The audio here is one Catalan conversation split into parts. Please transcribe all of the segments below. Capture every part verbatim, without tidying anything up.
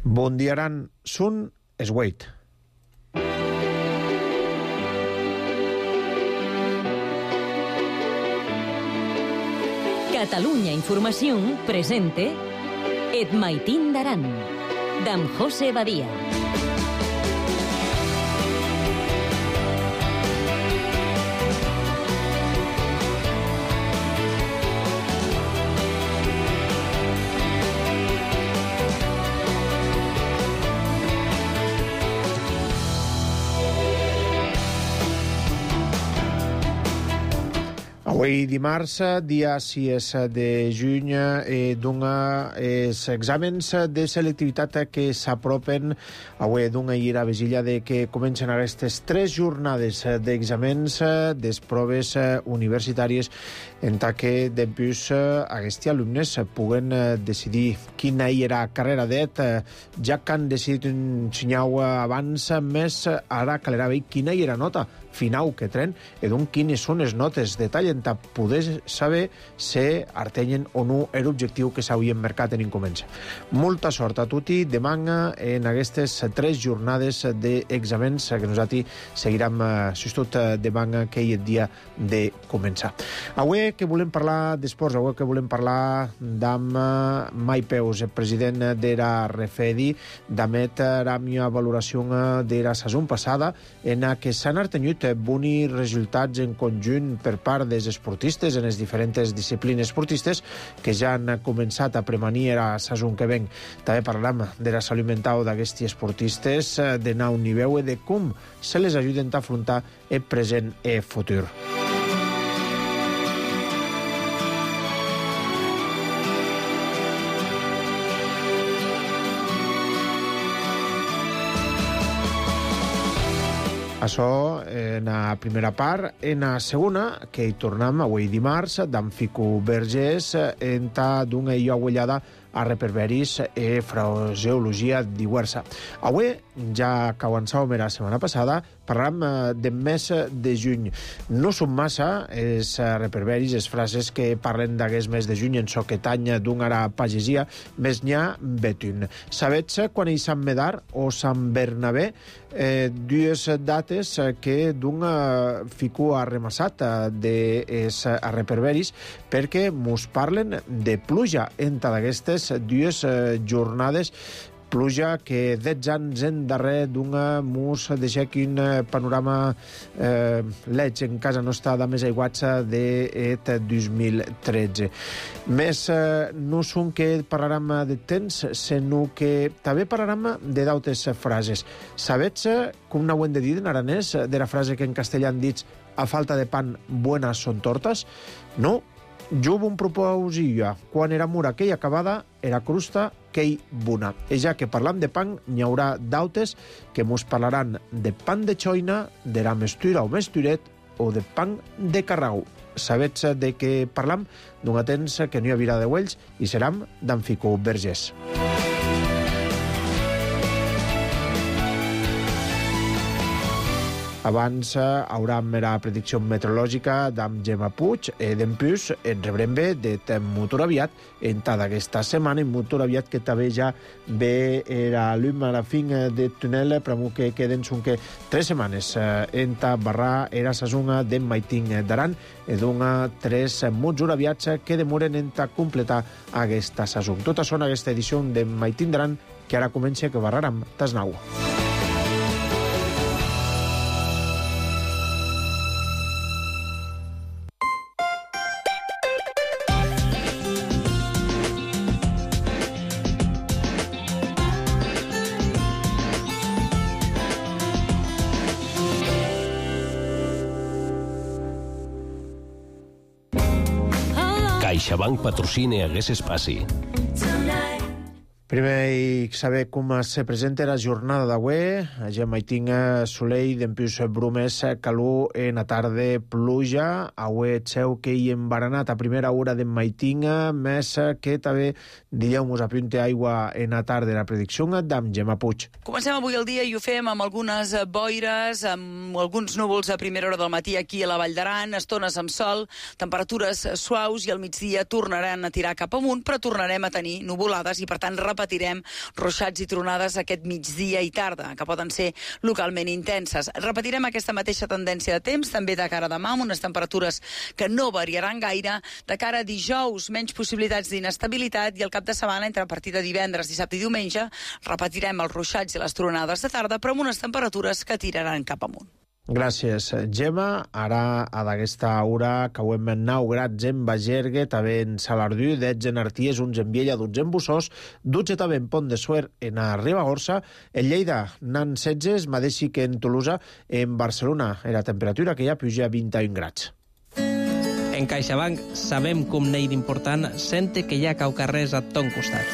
Bondiaran Sun Swait. Catalunya Informació presente Et Maitín d'Aran, d'en José Badia. Avui dimarts, dia sis de juny, eh, d'una els exàmens de selectivitat que s'apropen. Avui d'una ira vesilla de que comencen aquestes tres jornades d'exàmens des proves universitàries en que després aquests alumnes puguen decidir quina era carrera d'et, ja que han decidit ensenyar abans més, ara calera veure quina era nota final que tren i doncs quines són les notes de tall en poder saber si artenyen o no l'objectiu que s'havien marcat en començar. Molta sort a tutti demà en aquestes tres jornades d'exàmens que nosaltres seguirem tot demà aquell dia de començar. Avui que volem parlar d'esports, avui que volem parlar d'am Mai Peus, el president de la Refedi, d'amet la meva valoració de la saison passada en què s'han artenyut bons resultats en conjunt per part dels esportistes en les diferents disciplines esportistes que ja han començat a premanir la saison que ven. També parlam de la salut mental d'aquests esportistes, de nou nivell i de com se les ajuden a afrontar el present i el futur. Això en la primera part. En la segona, que hi tornem avui dimarts, d'en Fico Vergés, en ta d'una illa agullada a reperberis e fraseologia diversa. Avui, ja que avançàvem la setmana passada, parlem del mes de juny. No són massa els reperberis, les frases que parlen d'aquest mes de juny en soquet any d'una pagesia, més n'hi ha betun. Sabets quan hi Sant Medar o Sant Bernabé, eh, dues dates que d'un fico arremassat dels reperberis perquè mos parlen de pluja entre d'aquestes dues jornades, pluja que dotze anys endarrere d'una mus deixa aquí un panorama eh, leig en casa nostra de més aiguats d'et dos mil tretze. Més eh, no són que parlarem de temps, sinó que també parlarem de d'altres frases. Sabets com n'ho hem de dir en aranès de la frase que en castellà han dit a falta de pan buenas son tortas? No. Jo un proposia, quan era mura aquella acabada, era crusta quei bona. I ja que parlam de pan, n'hi haurà d'autes que mos parlaran de pan de xoina, de la mestura o mesturet, o de pan de carrau. Sabets de què parlam? D'un temps que no hi havia de Wells i seram d'en Fico Vergés. Abans haurem la predicció meteorològica d'en Gemma Puig i d'en Pius en rebrem bé de molt aviat en tota aquesta setmana, en molt aviat que també ja ve la llum a la fin de túnel, però que queden són que tres setmanes en ta barra era sasuna d'en Maitín d'Aran i d'una tres molt aviats que demoren en ta completar aquesta sason. Tota són aquesta edició d'en Maitín d'Aran que ara comença que barraram tasnau. CaixaBank patrocina aquest espai. Primer, i saber com se presenta la jornada d'avui. Ja Maitín Soleil, d'empius brumes, calor en la tarda, pluja. Avui seu que hi embaranat a primera hora de Maitín, més que també dilluns apunte aigua en la tarda. La predicció d'en Gemma Puig. Comencem avui el dia i ho fem amb algunes boires, amb alguns núvols a primera hora del matí aquí a la Vall d'Aran, estones amb sol, temperatures suaus i al migdia tornaran a tirar cap amunt, però tornarem a tenir nuvolades i, per tant, repetirem ruixats i tronades aquest migdia i tarda, que poden ser localment intenses. Repetirem aquesta mateixa tendència de temps, també de cara a demà, amb unes temperatures que no variaran gaire. De cara a dijous, menys possibilitats d'inestabilitat, i el cap de setmana, entre a partir de divendres, dissabte i diumenge, repetirem els ruixats i les tronades de tarda, però amb unes temperatures que tiraran cap amunt. Gràcies, Gemma. Ara, a d'aquesta hora, cauem nou grads en Bagergue, també en Salardú, dotze en Arties, onze en Viella, dotze en Bussós, dotze també en Pont de Suert, en a Ribagorça, en Lleida, n'han setze, mateixi que en Tolosa, en Barcelona, la temperatura que hi ha puja a vint-i-un grads. En CaixaBank sabem com n'hi d'important sente que hi ha caucarrers a ton costat.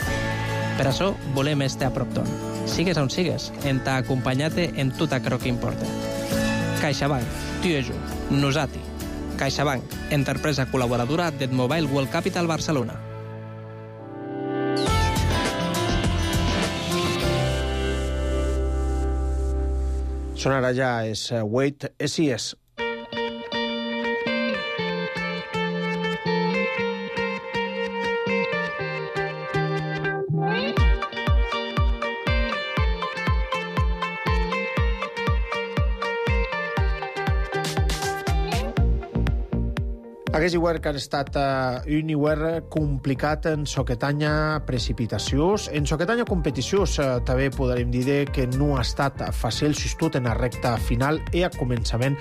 Per això volem estar a prop ton. Sigues on sigues, en t'ha acompanyat en tot aquello que importa. CaixaBank, tu i jo, nosati. CaixaBank, empresa col·laboradora del Mobile World Capital Barcelona. Són ara ja és Wait S I S. Aquest hivern que ha estat uh, un hivern complicat en soquetanya precipitacions, en soquetanya competicions. Uh, també podrem dir que no ha estat fàcil, justut en la recta final i a començament.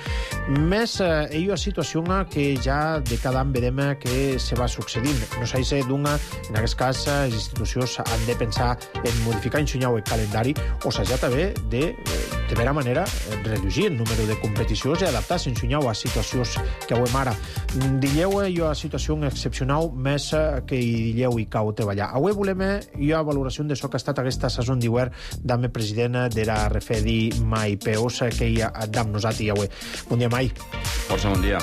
Més, uh, hi ha situació que ja de cada any vedem que se va succeint. No s'ha de d'una, en aquest cas, les institucions han de pensar en modificar ensenyar el calendari o s'ha també de, de vera manera, reduir el número de competicions i adaptar-se ensenyar a situacions que avui ara. Dilleu hi ha situació excepcional més que hi dilleu i cau treballar. Avui volem hi ha valoració de això que ha estat aquesta saison d'hivern d'ame president de la Refedi Mai Peus que hi ha amb nosaltres avui. Bon dia, Mai. Força bon dia.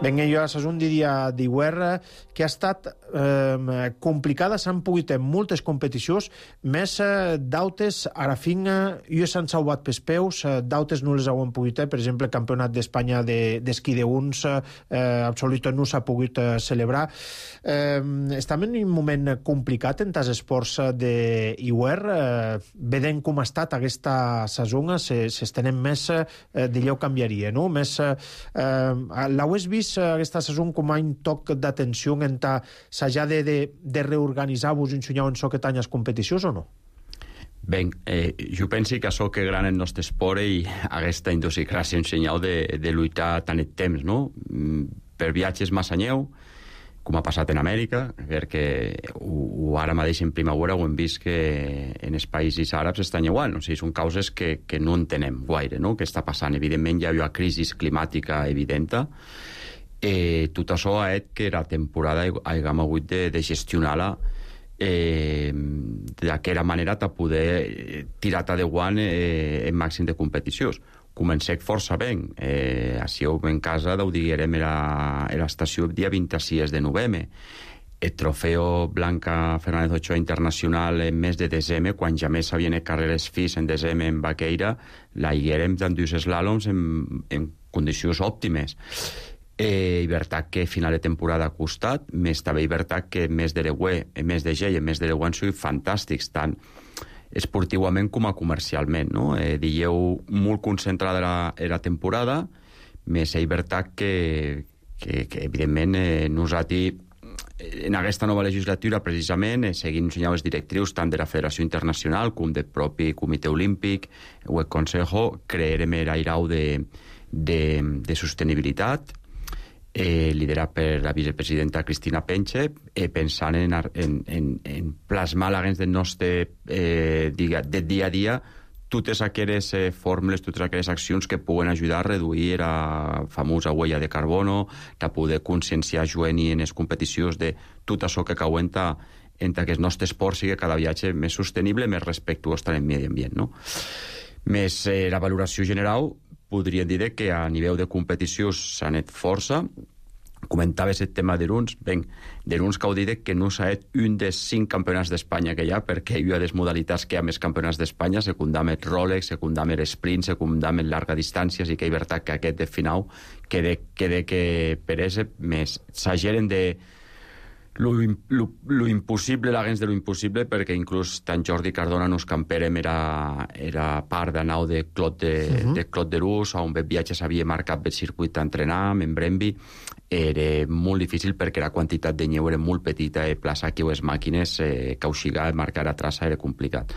Ben, jo a saison de dia d'hivern que ha estat eh, complicada, s'han pogut en moltes competicions, més eh, d'autes, a la fin, jo s'han salvat pels peus, eh, d'autes no les han pogut, eh, per exemple, el campionat d'Espanya d'esquí de, uns, eh, absolut no s'ha pogut eh, celebrar. Eh, estem en un moment complicat en els esports d'hivern, eh, vedent com ha estat aquesta saison, s'estenen més, eh, d'allò canviaria, no? Més, eh, l'heu vist aquesta saison com a un toc d'atenció en ta s'ha de, de, de reorganitzar-vos i ensenyar en soquetany les competicions o no? Ben, eh, jo penso que això que gran el nostre esport i aquesta idiosincràsia ensenyau de, de lluitar tant el temps, no? Per viatges massa anyeu, com ha passat en Amèrica, perquè o, o ara mateix en primavera ho hem vist que en els països àrabs estan igual, no? O sigui, són causes que, que no entenem gaire, no? Què està passant? Evidentment hi ha una crisi climàtica evidenta. Eh, tot això ha fet que la temporada haguem hagut de, de gestionar-la eh, d'aquella manera de poder tirar de guant eh, en màxim de competicions. Comencem força bé. Eh, així en casa ho diguem a l'estació el dia vint-i-sis de novembre. El trofeu Blanca Fernández Ochoa Internacional en mes de desembre, quan ja més havien carreres fis en desembre en Baqueira, la higuerem d'en dos slàloms en, en condicions òptimes. Eh, i veritat que final de temporada ha costat, més també i veritat que mes de l'Eué, mes de Gell i mes de l'Eué han sigut fantàstics, tant esportivament com a comercialment, no? Eh, dieu molt concentrada la, la temporada, més és veritat que, que, que evidentment eh, nosaltres en aquesta nova legislatura precisament eh, seguint ensenyant les directrius tant de la Federació Internacional com del propi Comitè Olímpic o el Consejo, crearem l'airau de, de, de sostenibilitat Eh, liderat per la vicepresidenta Cristina Penche, eh, pensant en, en, en, en plasmar l'agents del nostre eh, diga, de dia a dia totes aquelles eh, fórmules, totes aquelles accions que puguen ajudar a reduir la famosa huella de carbono, de poder conscienciar juvenil en les competicions de tot això que cauenta entre que el nostre esport sigui cada viatge més sostenible, més respectuós amb el medi ambient, no? Més eh, la valoració general podríem dir que a nivell de competició s'ha anat força. Comentaves el tema d'Eruns. Ben, d'Eruns que ho diré que no s'ha fet un dels cinc campionats d'Espanya que hi ha, perquè hi ha les modalitats que hi ha més campionats d'Espanya, secundam el Rolex, secundam el sprint, secundam el llarga distància, i que hi veritat que aquest de final quede, quede que per ese més s'ageren de lo, lo, lo impossible, l'agents de lo impossible, perquè inclús tant Jordi Cardona nos camperem era, era part de nau de Claude de, uh -huh. de, Claude de Luz, on el viatge s'havia marcat el circuit d'entrenar, en Bremby. Era molt difícil perquè la quantitat de neu era molt petita i plaçar aquí les màquines, eh, cauxigar, marcar a traça era complicat.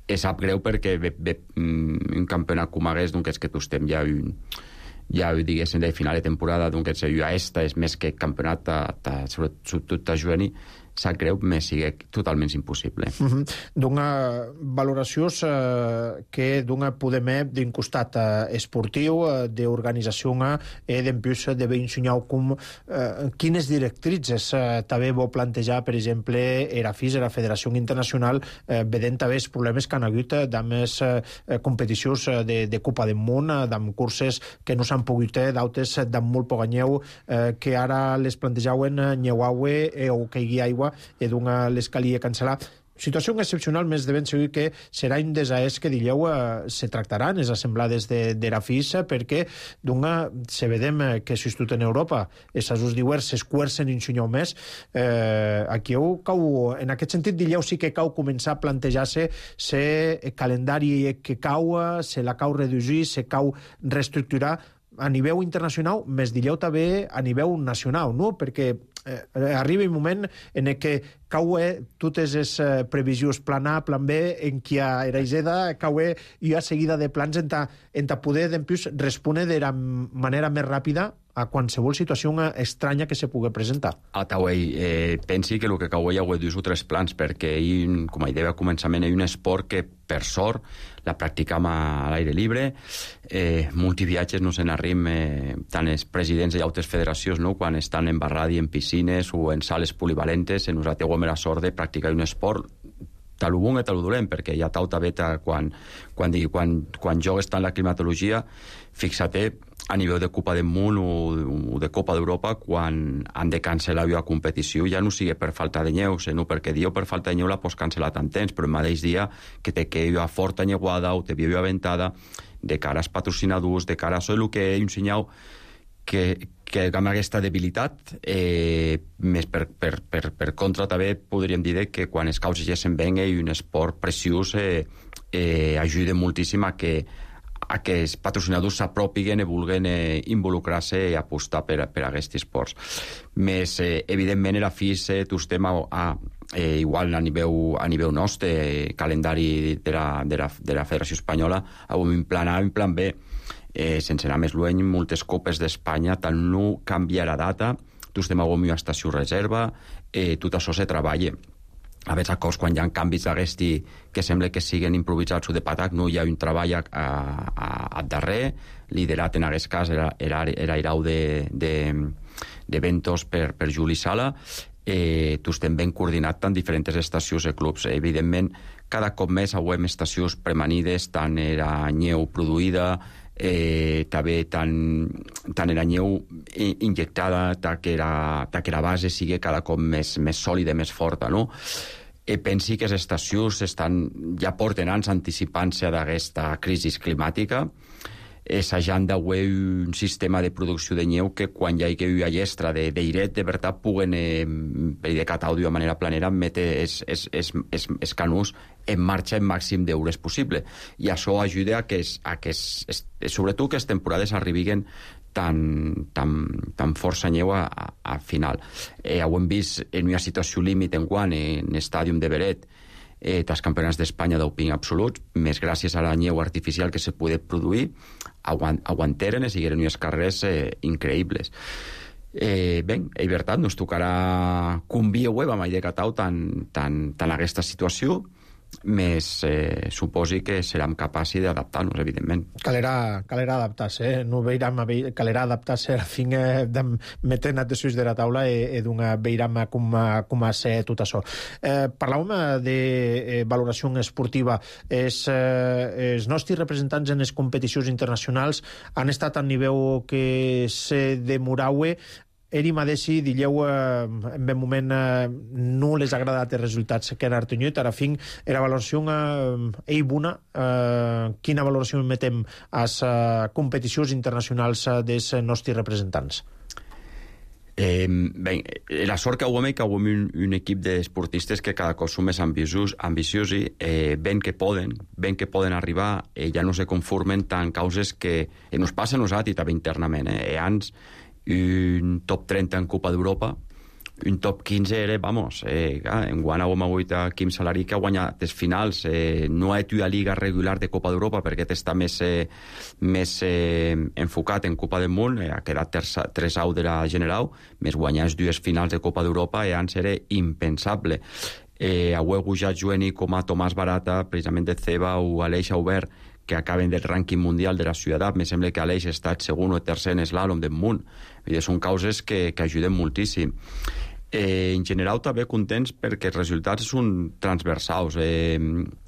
E sap greu perquè ve, ve, un campionat com hagués, doncs és que tu estem ja un... ja diguéssim de final de temporada, doncs a esta és més que campionat ta, ta, sobretot a juvenil, sap greu, me sigue totalment impossible. Uh -huh. D'una valoració eh, que d'una podem d'un costat eh, esportiu, eh, d'organització eh, d'empús de ben ensenyar com eh, quines directrices eh, també vol plantejar, per exemple, era F I S, la Federació Internacional, eh, vedent també els problemes que han hagut eh, d'amb les eh, competicions de, de Copa del Món, eh, d'amb curses que no s'han pogut, eh, d'altres d'amb molt poc anyeu, eh, que ara les plantejaven eh, nyeuaue eh, o que hi ha aigua i d'una les calia cancel·lar. Situació excepcional, més de ben segur que serà un desaès que dilleu eh, se tractaran les assemblades de, de la F I S, perquè d'una se vedem eh, que si tot en Europa els asos diuers s'escuercen un xunyau més, eh, aquí heu cau, en aquest sentit dilleu sí que cau començar a plantejar-se se calendari que cau, se la cau reduir, se cau reestructurar a nivell internacional, més dilleu també a nivell nacional, no? Perquè eh, arriba un moment en què cau eh, totes les eh, previsions plan A, plan B, en què era iseda, cau eh, i a seguida de plans en ta, en ta poder d'empús respondre de la manera més ràpida a qualsevol situació estranya que se pugui presentar. A Tauei, eh, pensi que el que cau hi ha dos o tres plans, perquè hi, com a idea a començament, hi ha un esport que, per sort, la practicam a l'aire lliure, eh, multiviatges no se n'arrim, eh, tant els presidents i altres federacions, no? Quan estan en barradi, en piscines o en sales polivalentes, en nosaltres hem la sort de practicar un esport tal ho bon i tal ho dolent, perquè hi ha tauta beta quan, quan, digui, quan, quan jogues tant la climatologia, fixa-te a nivell de Copa del Món o, o de Copa d'Europa, quan han de cancel·lar la competició, ja no sigui per falta de neu, sinó perquè diu per falta de neu la pots cancel·lar tant temps, però el mateix dia que te quedi a forta neuada o te viu ventada, de cara als patrocinadors, de cara a això, el que he ensenyat que, que amb aquesta debilitat, eh, més per, per, per, per contra també podríem dir que quan els causes ja se'n venga i un esport preciós eh, eh, ajuda moltíssim a que a que els patrocinadors s'apropiguen i vulguen eh, involucrar-se i apostar per, per a aquests esports. Més, eh, evidentment, la F I S, tu estem a, a eh, igual a nivell, a nivell nostre, eh, calendari de la, de, la, de la Federació Espanyola, amb un plan A i un plan B. Eh, sense anar més lluny, moltes copes d'Espanya, tant no canvia la data, tu estem a una estació reserva, eh, tot això se treballa. A vegades, a cos, quan hi ha canvis d'aquesti que sembla que siguen improvisats o de patac, no hi ha un treball a, a, a, a darrer, liderat en aquest cas era, era, era Irau de, de, de Ventos per, per Juli Sala, eh, tu estem ben coordinat tant diferents estacions i clubs. Evidentment, cada cop més avui estacions premanides, tant era nyeu produïda, eh, també tant, tant era nyeu injectada, tant que la, tant que la base sigui cada cop més, més sòlida, més forta, no? E pensi que les estacions estan, ja porten anys anticipant-se d'aquesta crisi climàtica, assajant d'avui un sistema de producció de nyeu que quan hi ha una llestra d'airet, de veritat, puguen, eh, per dir que d'àudio de manera planera, metre els, els, els, els, els canús en marxa en màxim d'hores possible. I això ajuda a que, a que es, sobretot que les temporades arribin tan, tan, tan força nyeu a, a, a final. Eh, ho hem vist en una situació límit en guant, en l'estàdium de Beret, eh, dels campionats d'Espanya d'Oping absoluts, més gràcies a la nyeu artificial que se podia produir, aguant, aguanteren i sigueren unes carreres eh, increïbles. Eh, bé, és veritat, nos tocarà conviar web amb de Catau tant, tant, tant aquesta situació, més eh, suposi que serem capaços d'adaptar-nos, evidentment. Calerà, calerà adaptar-se, eh? No veiram, calerà adaptar-se a fin eh, de metre de suix de la taula i, i d'una veiram com, com a ser tot això. Eh, parlàvem de eh, valoració esportiva. Es, eh, els nostres representants en les competicions internacionals han estat a nivell que se demoraue. Eri Madesi, dilleu, eh, en ben moment eh, no les ha agradat els resultats que han artenyut. Ara fin, era valoració eh, ei bona. Eh, quina valoració metem a les eh, competicions internacionals eh, dels nostres representants? Eh, ben, la sort que avui que avui un, un equip d'esportistes que cada cop són més ambiciosos, ambiciosi, eh, ben que poden, ben que poden arribar, eh, ja no se conformen tant causes que eh, nos passa a nosaltres també internament. Eh, abans un top trenta en Copa d'Europa, un top quinze era, vamos, eh, en guana ho hem hagut a Quim Salari que ha guanyat les finals, eh, no ha estudiat liga regular de Copa d'Europa perquè està més, eh, més eh, enfocat en Copa del Món, eh, ha quedat tres au de la General, més guanyar les dues finals de Copa d'Europa, eh, abans era impensable. Eh, avui ha jugat com a Tomàs Barata, precisament de Ceba, o Aleix Aubert, que acaben del rànquing mundial de la ciutat. Me sembla que Aleix ha estat segon o tercer en eslàlom del món. I són causes que, que ajuden moltíssim. Eh, en general també contents perquè els resultats són transversals. Eh,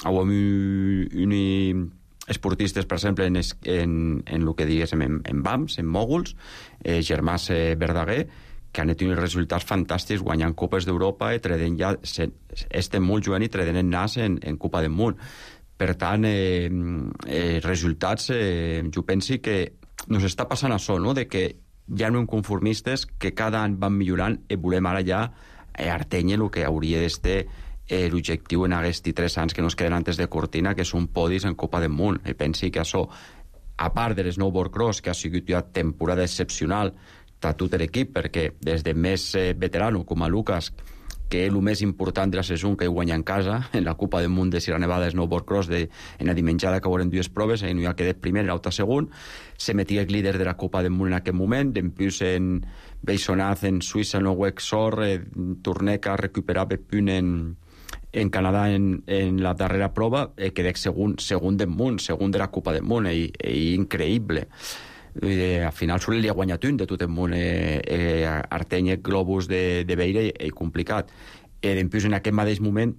avui un esportistes, per exemple, en, en, en el que diguéssim, en, en B A M S, en mòguls, eh, Germàs eh, Verdaguer, que han tingut resultats fantàstics guanyant Copes d'Europa i tredent ja, estem molt jugant i tredent en nas en, en Copa del Món. Per tant, eh, eh, resultats, eh, jo penso que nos està passant això, no?, de que ja no hem conformistes, que cada any van millorant i volem ara ja eh, artenye el que hauria d'estar eh, l'objectiu en aquests tres anys que nos queden antes de cortina, que són podis en Copa del Món. I pensi que això, a part de l'snowboard cross, que ha sigut ja temporada excepcional a tot l'equip, perquè des de més eh, veterano, com a Lucas, que és el més important de la saison que guanya en casa, en la Copa del Món de Sierra Nevada de Snowboard Cross, de, en la dimenjada que veurem dues proves, en ha quedat primer, en l'altre segon, se metia el líder de la Copa del Món en aquest moment, d'empius en Beisonaz, en Suïssa, en el Wexor, eh, Torneca recuperava punt en, en Canadà en, en la darrera prova, eh, quedà segon, segon del món, segon de la Copa del Món, i, i increïble. Eh, al final solo li ha guanyat un de tot el món, eh, eh, Arteny Globus de, de Beira, i, i complicat. Eh, Dempuix en aquest mateix moment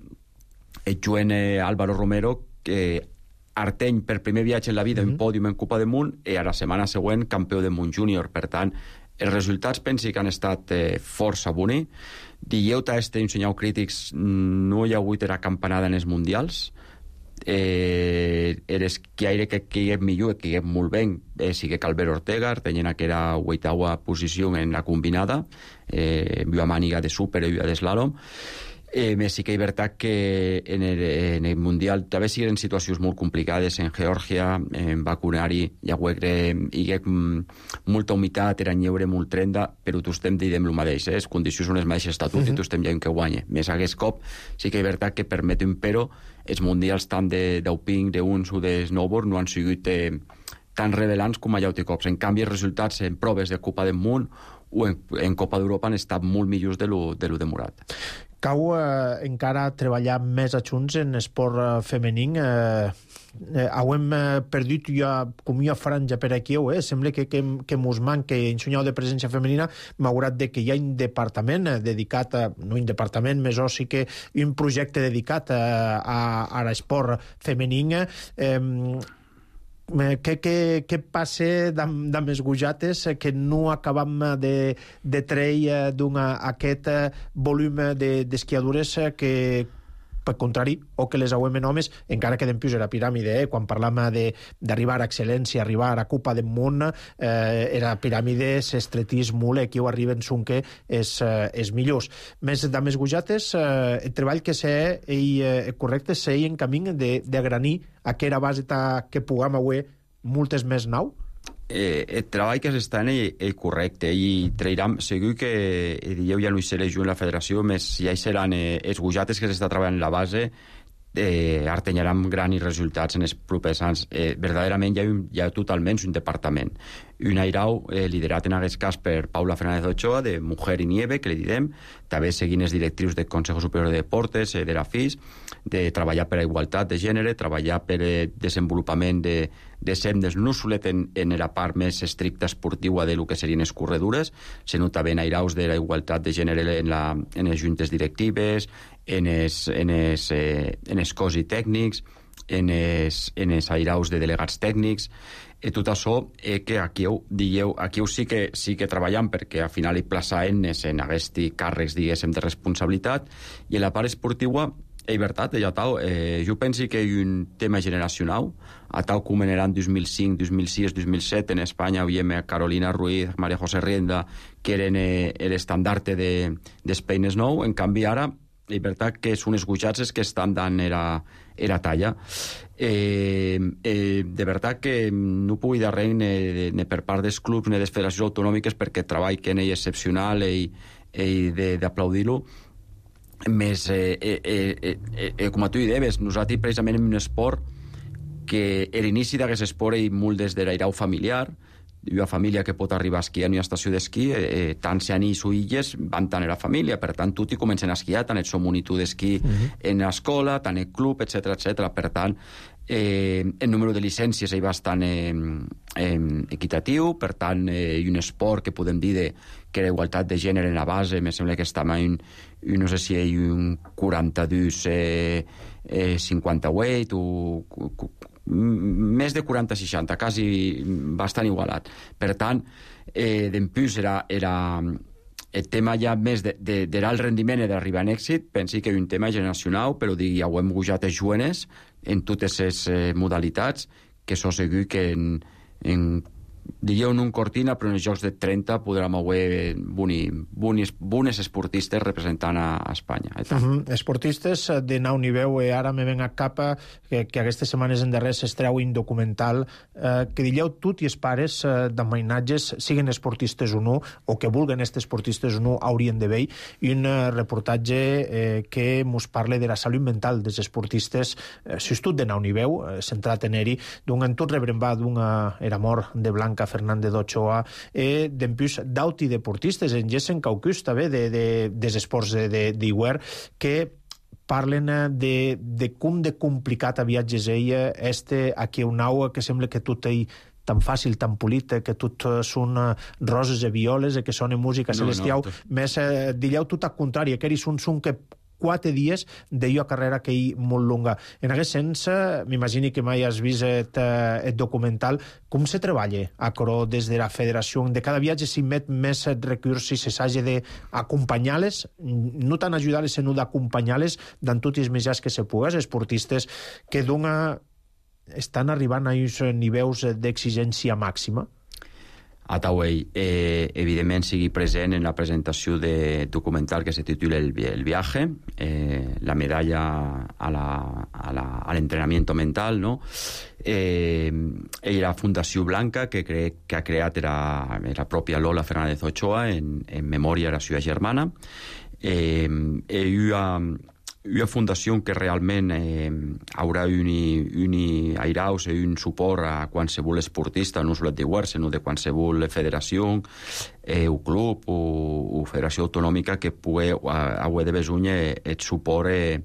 eh, juguen eh, Álvaro Romero, que Arteny per primer viatge en la vida, mm-hmm. un pòdium en Copa del Món, i a la setmana següent campió del món júnior. Per tant, els resultats pensi que han estat eh, força boni. Dieu a este ensenyau crítics, no hi ha hagut la campanada en els mundials. Eh, eres que aire que que és millor, que és molt bé, eh, sigue Calver Ortega, tenint que era vuitava posició en la combinada, eh, viu a màniga de súper i viu a d'eslàlom. Eh, més sí que és veritat que en el, en el Mundial també siguen situacions molt complicades en Geòrgia, en Bakunari, hi ha hi ha molta humitat, era lleure molt trenda, però tu estem dient el mateix, eh? Les condicions són les mateixes estatut uh-huh. i tu estem dient que guanya. Més aquest cop sí que és veritat que permet un però, els mundials tant d'Auping, d'uns o de snowboard no han sigut eh, tan revelants com a llaute cops. En canvi, els resultats en proves de Copa del Món o en, en Copa d'Europa han estat molt millors de lo, de lo demorat. Cau eh, encara treballar més a junts en esport eh, femení. Eh, eh, hem eh, perdut ja com una franja per aquí, eh? Sembla que, que, que mos manca en senyal de presència femenina, malgrat de que hi ha un departament eh, dedicat, a, no un departament, més o sí que un projecte dedicat a, a, a l'esport femení. Eh, Què, què, què passa amb, amb els gojates que no acabam de, de treure d'aquest volum d'esquiadures de, que, per contrari, o que les auem en homes, encara que dempius era piràmide, eh? Quan parlam d'arribar a excel·lència, arribar a Copa del Món, eh, era piràmide, s'estretís molt, aquí ho arriben són que és, eh, és millors. Més amb els gojates, eh, el treball que sé, i, eh, correcte, sé en camí d'agranir aquella base que puguem avui moltes més nau? Eh, el treball que s'està en és correcte i trairem, segur que dieu ja no hi seré jo en la federació, més ja hi seran eh, els gojates que s'està treballant la base, eh, artenyaran grans resultats en els propers anys. Eh, verdaderament hi ha, un, hi ha totalment un departament. Un airau eh, liderat en aquest cas per Paula Fernández Ochoa, de Mujer i Nieve, que li direm, també seguint els directius del Consejo Superior de Deportes, eh, de la F I S, de treballar per a igualtat de gènere, treballar per eh, desenvolupament de, de sendes, no solet en, en la part més estricta esportiva de lo que serien les corredures, sinó també en airaus de la igualtat de gènere en, la, en les juntes directives, en els en els, eh, en els cos i tècnics, en els, en els airaus de delegats tècnics, i tot això eh, que aquí ho, digueu, aquí ho sí que, sí que treballem perquè al final hi plaçaven en aquests càrrecs, diguéssim, de responsabilitat, i en la part esportiva és veritat, ja tal. Eh, jo penso que és un tema generacional, a tal com en l'any dos mil cinc, dos mil sis, dos mil set en Espanya havíem a Carolina Ruiz, María José Rienda, que eren eh, l'estandarte de, dels peines nou. En canvi, ara, és veritat que són els gujats que estan dant era, era talla. Eh, eh, de veritat que no pugui dir res ni, ni per part dels clubs ni de les federacions autonòmiques, perquè el treball que és excepcional i, i d'aplaudir-lo. Més, eh, eh, eh, eh, eh, com a tu hi deies, nosaltres precisament en un esport que l'inici d'aquest esport és molt des de l'airau familiar. Hi ha família que pot arribar a esquiar en una estació d'esquí, eh, tant si anís o illes van tant a la família, per tant tots hi comencen a esquiar, tant el seu monitor d'esquí uh-huh. en l'escola, tant el club, etcètera, etcètera. Per tant, eh, el número de llicències és bastant eh, eh, equitatiu, per tant, eh, hi ha un esport que podem dir de, que la igualtat de gènere en la base, me sembla que està en, no sé si hi ha un quaranta-dos eh, eh, cinquanta-vuit o més de quaranta seixanta, quasi bastant igualat. Per tant, eh, d'empús era, era el tema ja més de, de, de l'alt rendiment i d'arribar en èxit. Pensi que és un tema generacional, però digui, ja ho hem gujat els joves en totes les eh, modalitats, que so segur que en, en digueu en un cortina, però en els Jocs de trenta podrem haver bones, bones esportistes representant a, a Espanya. Uh -huh. Esportistes de nau niveu, eh, ara me ven a cap que, que aquestes setmanes en darrer s'estreu un documental eh, que digueu tot i els pares eh, d'amainatges, siguin esportistes o no, o que vulguen estos esportistes o no, haurien de veure, i un eh, reportatge eh, que mos parla de la salut mental dels esportistes, eh, si tot de nau niveu, eh, centrat en eri, d'un entorn rebrembat d'una era mort de Blanca Fernández d'Ochoa, eh, d'empús d'auti deportistes, en Jessen Caucus també, de, de, des esports d'Iguer, de, que parlen de, de com de complicat a viatges ella este aquí un nau que sembla que tot ell tan fàcil, tan polit, que tot són roses i violes, que sona música celestial, no, no, tot... més eh, dilleu tot al contrari, que són són que quatre dies d'allò carrera que hi molt longa. En aquest sens, m'imagini que mai has vist el, el documental, com se treballa a Coró des de la federació? De cada viatge s'hi met més recursos i se s'hagi d'acompanyar-les, no tant ajudar-les, sinó d'acompanyar-les dans tots els mitjans que se pugues, esportistes que dona, estan arribant a uns nivells d'exigència màxima? A Tauell, eh, evidentment sigui present en la presentació de documental que se titula El, el viaje, eh, la medalla a l'entrenamiento mental, no? Eh, i la Fundació Blanca, que, cre, que ha creat la, la pròpia Lola Fernández Ochoa en, en memòria de la seva germana. Eh, hi ha una fundació que realment eh, haurà un, un airaus i un suport a qualsevol esportista, no sols d'Iguer, sinó de qualsevol federació, eh, o club o, o federació autonòmica que pugui haver de besunya el suport eh,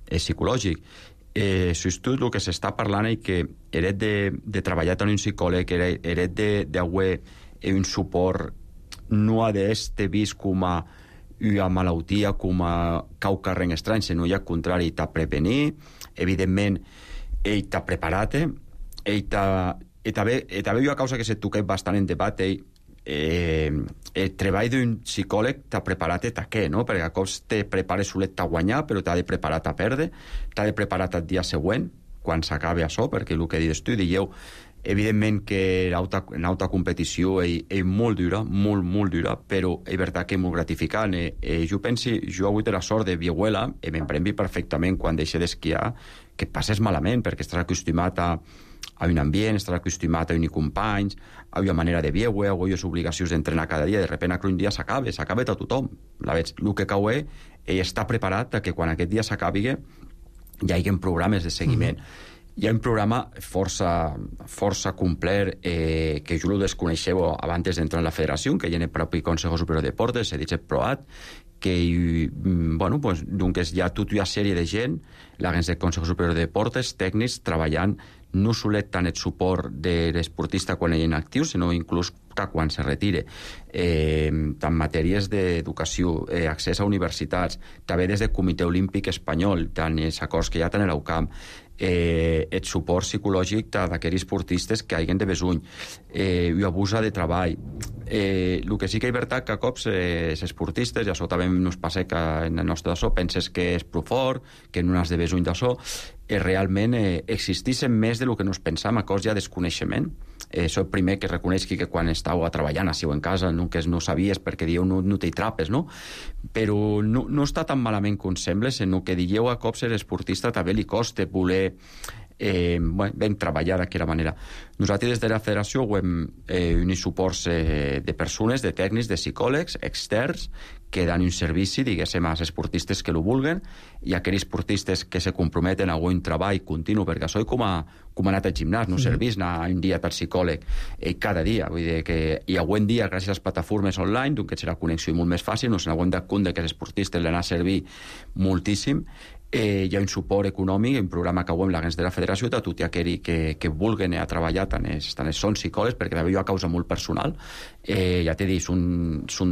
eh, psicològic. Eh, Sobretot el que s'està parlant és que eres de, de treballar amb un psicòleg, eres d'haver un suport no ha d'este vist com a una malaltia com a cau carrer estrany, sinó al contrari, t'ha prevenir, evidentment, ell t'ha preparat, ell t'ha... I també hi ha una causa que se toca bastant en debat, ell, eh, el treball d'un psicòleg t'ha preparat a què, no? Perquè a cops te prepares solet a guanyar, però t'ha de preparar a perdre, t'ha de preparar el dia següent, quan s'acabi això, perquè el que dius tu, dieu, evidentment que l'alta competició és, és molt dura, molt, molt dura, però és veritat que és molt gratificant. Eh, eh, jo penso, jo he hagut la sort de viuela, i me'n premvi perfectament quan deixe d'esquiar, que passes malament, perquè estàs acostumat a, a un ambient, estàs acostumat a uns companys, a una manera de viure, a unes obligacions d'entrenar cada dia, de repente un dia s'acaba, s'acaba a tothom. La veig, el que cau és, ell està preparat que quan aquest dia s'acabi hi hagi programes de seguiment. Mm-hmm. Hi ha un programa força, força complet eh, que jo ho desconeixeu abans d'entrar en la federació, que hi ha el propi Consejo Superior de Deportes, s'ha dit PROAT, que bueno, pues, doncs hi ha tota una sèrie de gent, l'agència del Consejo Superior de Deportes, tècnics, treballant no solet tant el suport de l'esportista quan ell és inactiu, sinó inclús quan se retire. Eh, tant matèries d'educació, eh, accés a universitats, també des del Comitè Olímpic Espanyol, tant els acords que hi ha tant a l'UCAM, eh, el suport psicològic d'aquells esportistes que hagin de besuny, eh, i abusa de treball. Eh, el que sí que és veritat que a cops eh, els esportistes, i això també ens passa que en el nostre d'això penses que és prou fort, que no has de besuny d'això, eh, realment eh, existeixen més del que nos pensam, a cos ja desconeixement. Eh, això primer que reconeix que quan estàu treballant així o en casa, no, que no sabies perquè dieu no, no t'hi trapes, no? Però no, no està tan malament com sembla, sinó que dieu a cops l'esportista també li costa voler eh, bueno, ben treballar d'aquesta manera. Nosaltres des de la federació hem eh, unit suports eh, de persones, de tècnics, de psicòlegs externs que dan un servici, diguéssim, als esportistes que lo vulguen, i aquells esportistes que se comprometen a un treball continu, perquè això és com a, com a anat al gimnàs, no servís anar un dia per psicòleg eh, cada dia, vull dir que i algun dia, gràcies a les plataformes online, doncs que serà connexió molt més fàcil, no se n'haguem de compte que els esportistes l'anar a servir moltíssim. Eh, hi ha un suport econòmic, un programa que hem l'agents de la federació de tot aquells que, que vulguen a treballar, tant és, tant és són psicòlegs, perquè també hi ha causa molt personal. Eh, ja t'he dit, són, són,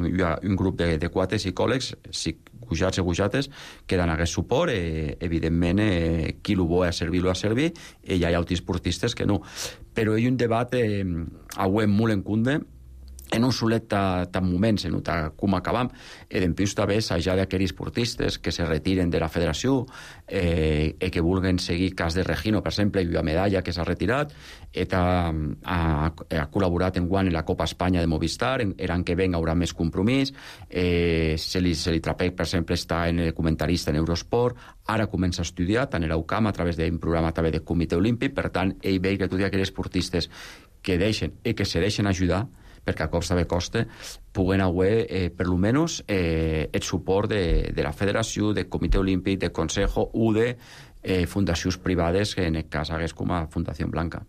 hi ha un grup de, de quatre psicòlegs, gujats i gujates, que dan aquest suport. Eh, evidentment, eh, qui lo vol a servir, lo a servir, i hi ha altres esportistes que no. Però hi ha un debat eh, avui molt en cunde, en un solet tan moments, en com acabam, e dempuix també s'haja d'aquells esportistes que se retiren de la federació eh, i que vulguen seguir cas de Regino, per exemple, i la medalla que s'ha retirat, eta ha, ha col·laborat en guany en la Copa Espanya de Movistar, en l'any que ven haurà més compromís, eh, se li, se li trapeix, per exemple, està en el comentarista en Eurosport, ara comença a estudiar, tant en l'UCAM, a través d'un programa també del Comitè Olímpic, per tant, ell veu que tots aquells esportistes que deixen i que se deixen ajudar, perquè a cops també costa, puguen haver, eh, per lo menos, eh, el suport de, de la federació, del Comitè Olímpic, del Consejo o de eh, fundacions privades, que en el cas hagués com a Fundació Blanca.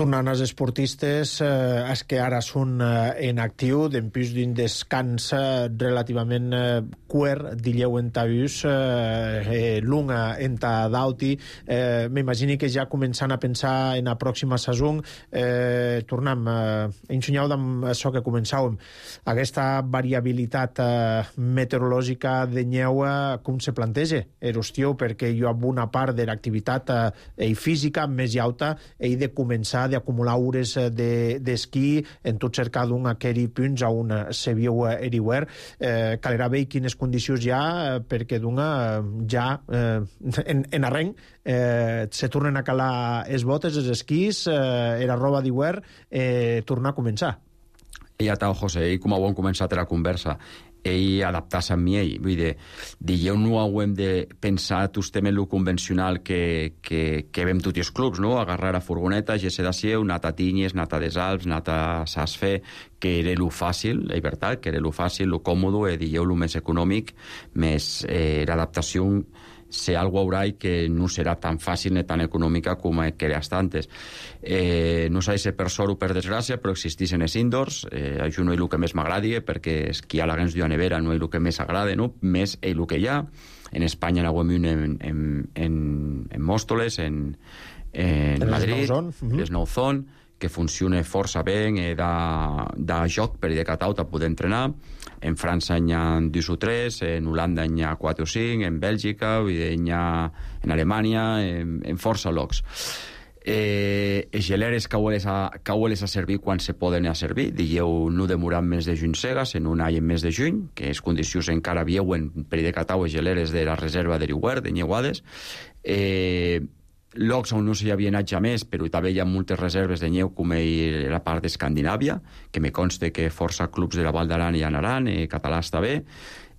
Tornant als esportistes, eh, els que ara són eh, en actiu, d'empús d'un descans eh, relativament eh, cuer, dilleu en tabús, eh, eh, lunga en ta dauti, eh, m'imagini que ja començant a pensar en la pròxima saison, eh, tornem, eh, ensenyau amb això que començàvem, aquesta variabilitat eh, meteorològica de neu, com se planteja? Erostiu, perquè hi ha una part de l'activitat eh, física més alta, i de començar d'acumular hores d'esquí de, en tot cercar d'un aquells punts on se viu eriuer. Eh, calera veure quines condicions hi ha, perquè d'una ja eh, en, en arrenc eh, se tornen a calar els botes, els esquís, eh, la roba d'hiver, eh, tornar a començar. Ja està, José, i com ho hem començat la conversa, ell adaptar-se amb ell. Vull dir, digueu, no hem de pensar tots temes lo convencional que, que, que vem tots els clubs, no? Agarrar a furgoneta, gesse de sieu, nata a Tinyes, nata a des Alps, nata a Sasfe, que era lo fàcil, la veritat, que era lo fàcil, lo còmodo, i digueu, lo més econòmic, més eh, l'adaptació ser algo haurà i que no serà tan fàcil ni tan econòmica com que era antes. Eh, no sé si per sort o per desgràcia, però existeixen els indoors, eh, això no és el que més m'agradi, perquè esquiar a la Gens de Nevera no és el que més agrada, no? Més és el que hi ha. En Espanya n'haguem un en, en, en, en Mòstoles, en, en, en Madrid, les Nouzon, que funciona força bé, eh, de, de joc per de catauta poder entrenar. En França hi ha dos o tres, en Holanda hi ha quatre o cinc, en Bèlgica, hi ha en Alemanya, en, en força llocs. Eh, els geleres caueles a, caueles a servir quan se poden a servir, digueu, no demorar més de juny cegas, en un any en mes de juny, que és condicions encara vieuen per de catau els geleres de la reserva de Riuer, de Nyeuades. Eh, llocs on no s'hi havia anat ja més, però també hi ha moltes reserves de neu, com la part d'Escandinàvia, que me consta que força clubs de la Val d'Aran hi anaran, eh, catalans també.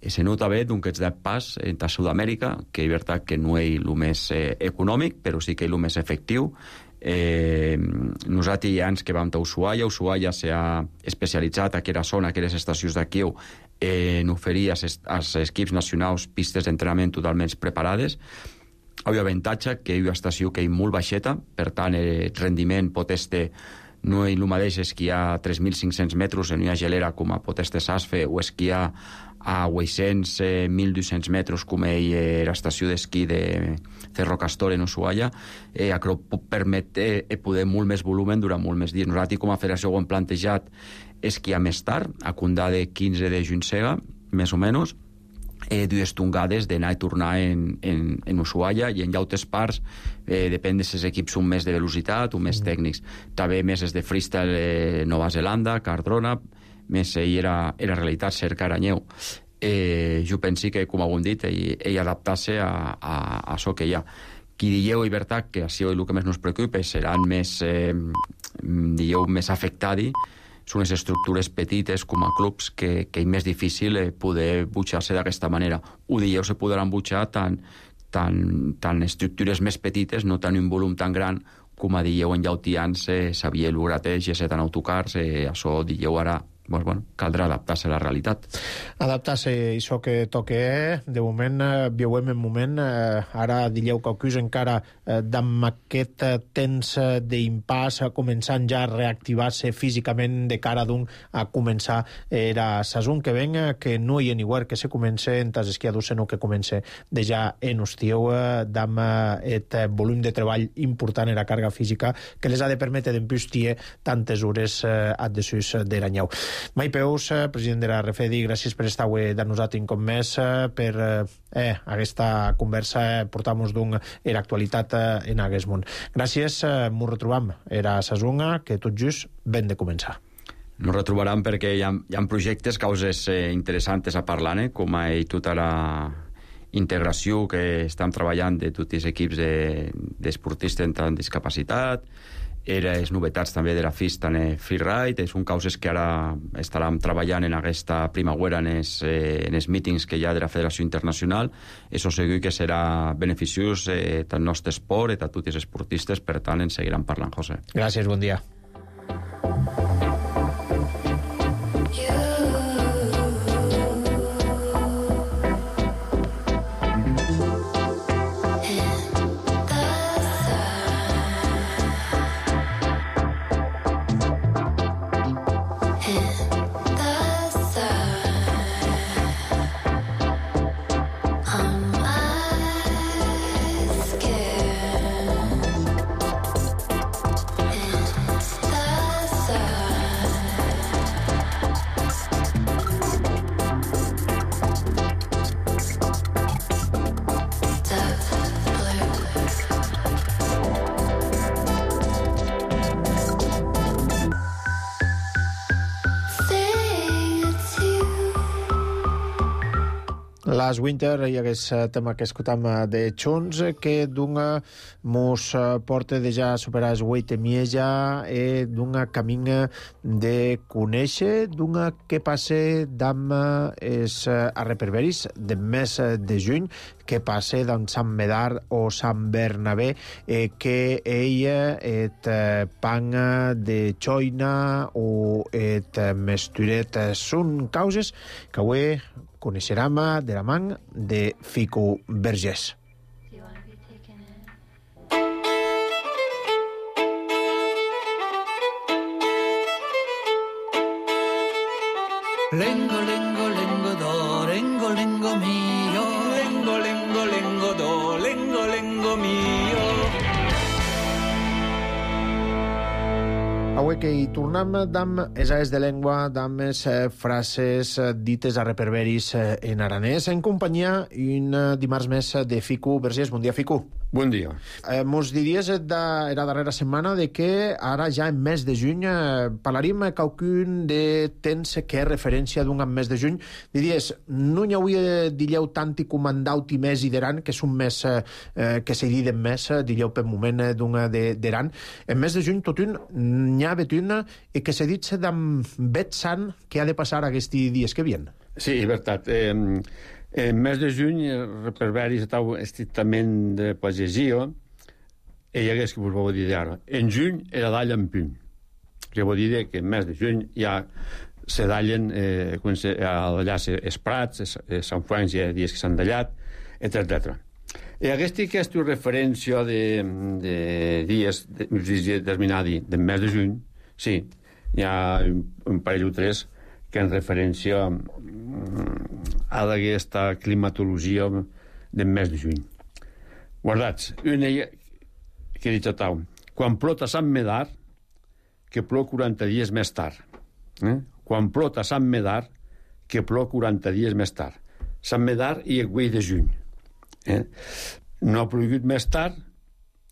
Eh, se nota bé d'un que ets de pas en Sud-amèrica, que és veritat que no és el més eh, econòmic, però sí que és el més efectiu. Eh, nosaltres hi ha anys que vam a Ushuaia, Ushuaia s'ha especialitzat a aquella zona, a aquelles estacions d'aquí, eh, en oferir als, als equips nacionals pistes d'entrenament totalment preparades. Hi ha avantatge que hi ha una estació que és molt baixeta, per tant el rendiment pot estar no és el mateix esquiar a tres mil cinc-cents metres en una gelera com a Poteste Sasfe o esquiar a vuit-cents, mil dos-cents metres com ell era l'estació d'esquí de Cerro Castor en Ushuaia, eh, això permet eh, poder molt més volumen durant molt més dies. Nosaltres com a federació ho hem plantejat esquiar més tard, a condar de quinze de juny sega, més o menys, eh, dues tongades d'anar i tornar en, en, en Ushuaia, i en llautes parts eh, depèn de si els equips són més de velocitat o més mm. tècnics. També més és de freestyle eh, Nova Zelanda, Cardrona, més ell era, era realitat cerca Aranyeu. Eh, jo penso que, com ho hem dit, ell, ell adaptar-se a, a, a això que hi ha. Qui dieu i veritat que això és el que més nos preocupa, seran més, eh, dieu, més afectats, són les estructures petites com a clubs que, que és més difícil eh, poder butxar-se d'aquesta manera. Ho dieu, se podran butxar tant, tant, tant estructures més petites, no tant un volum tan gran com a dieu en llautians, eh, Xavier Lugrateix, G set en autocars, eh, això dieu ara, doncs, bueno, caldrà adaptar-se a la realitat. Adaptar-se a això que toca, eh? De moment, eh, viuem en moment, eh, ara dieu que acus encara eh, d'amb aquest eh, temps eh, d'impàs, eh, començant ja a reactivar-se físicament de cara d'un a començar era sason que ven, eh, que no hi ha ni guard que se comence en tas esquiadors, sinó que comence de ja en hostiu, eh, d'amb aquest eh, volum de treball important en la càrrega física que les ha de permetre d'empustir tantes hores eh, addesus d'Aranyeu. Mai Peus, president de la Refedi, gràcies per estar avui de nosaltres com més, per eh, aquesta conversa, portar-nos d'un era actualitat en aquest món. Gràcies, m'ho retrobam. Era Sasunga, que tot just ben de començar. Nos retrobaran perquè hi ha, hi ha projectes, causes eh, interessants a parlar, eh, com a tota la integració que estem treballant de tots els equips d'esportistes de, amb discapacitat, era les novetats també de la F I S en el freeride, són causes que ara estarem treballant en aquesta primavera en els, eh, en els mítings que hi ha de la Federació Internacional. Això segur que serà beneficiós eh, tant al nostre esport i a tots els esportistes, per tant en seguiran parlant, José. Gràcies, bon dia. Last Winter i aquest tema que escoltam de Chons, que d'una mos porta de ja superar el vuit mieja i d'una camina de conèixer, d'una que passe d'amb els arreperberis de mes de juny, que passe d'en Sant Medard o Sant Bernabé, eh, que ella et pan de xoina o et mesturet són causes que avui coneixerem de la man de Fico Vergés. Lengo, lengo, lengo do, lengo, lengo mio. Lengo, lengo, lengo do, lengo, lengo mio. Avui que hi tornem d'amb les ales de llengua, d'amb les eh, frases eh, dites a reperberis eh, en aranès, en companyia un eh, dimarts més de Fico Vergés. Bon dia, Fico. Bon dia. Eh, mos diries de, era darrera setmana de que ara ja en mes de juny eh, parlaríem qualcun de temps que és referència d'un mes de juny. Diries, no n'hi hauria, diríeu, tant i comandauti més i d'Eran, que són més eh, que se diden més, diríeu, per moment eh, d'un d'Eran. En mes de juny tot un n'hi ha betun i que se dit d'en bet sant que ha de passar aquests dies que vien. Sí, és veritat. Eh, en mes de juny, per veure estava estrictament de pagesia, i hi hagués que vos vau dir ara. En juny era d'all en puny. Que vol dir que en mes de juny ja se dallen eh, allà els prats, els Sant Fuents hi ha dies que s'han dallat, etcètera. I aquesta que és referència de, de dies determinats del mes de juny Sí, hi ha un, un parell o tres que en referència a aquesta climatologia del mes de juny. Guardats, una que he dit a tau, quan plota a Sant Medar, que plou quaranta dies més tard. Eh? Quan plota a Sant Medar, que plou quaranta dies més tard. Sant Medar i el güell de juny. Eh? No ha plogut més tard,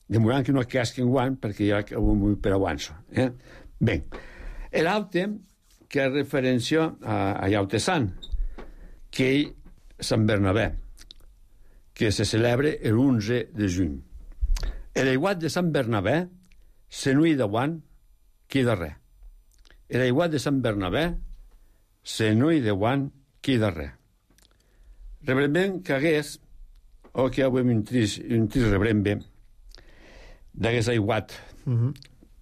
demorant que no casqui en guant, perquè ja ho per avanço. Eh? Bé, l'altre, que és referència a, a Iaute Sant, que és Sant Bernabé, que se celebra l'onze de juny. L'aiguat de Sant Bernabé, se no hi de guant, queda res. L'aiguat de Sant Bernabé, se no hi de guant, queda res. Rebrembem que hagués, o que avui un trist, un trist rebrembe, d'hagués aiguat uh-huh.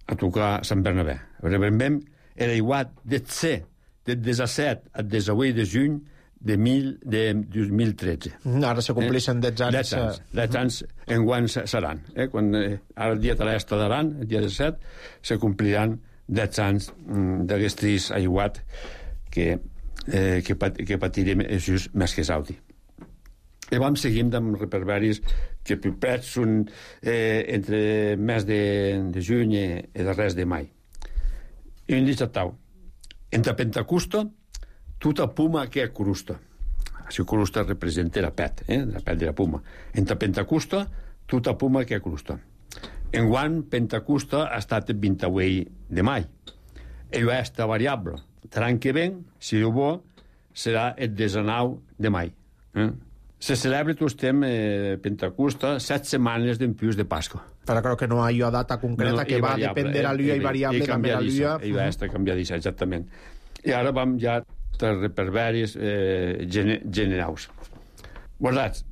a tocar Sant Bernabé. Rebrembem l'aiguat de C, del disset al disset de juny, de, mil, de dos mil tretze. Ara se compleixen deu anys. deu anys, deu anys en guany seran. Eh? Quan, eh, ara el dia de l'est d'Aran, el dia disset, se compliran deu anys mm, d'aquest trist aiguat que, eh, que, pat, que patirem just més que saudi. I vam seguint amb reperberis que pipets són eh, entre mes de, de juny i de res de mai. I un dit a tau, entre Pentecosta, tota puma que è crusta. Si crusta representa la pet, eh? la pet de la puma. Entre Pentecosta, tota puma que è crusta. Enguany, Pentecosta ha estat el vint-i-vuit de mai. E questa variable. L'any que ven, si Déu vol, serà el diecinou de mai. Eh? Se celebra tot temps eh, Pentecosta set setmanes d'empius de Pasqua. Però crec que no hi ha data concreta, no, que va dependre de la llua i variable també la llua. I va estar canviadissa, exactament. I ara vam ja de reperberis eh, gene, generals. Guardats,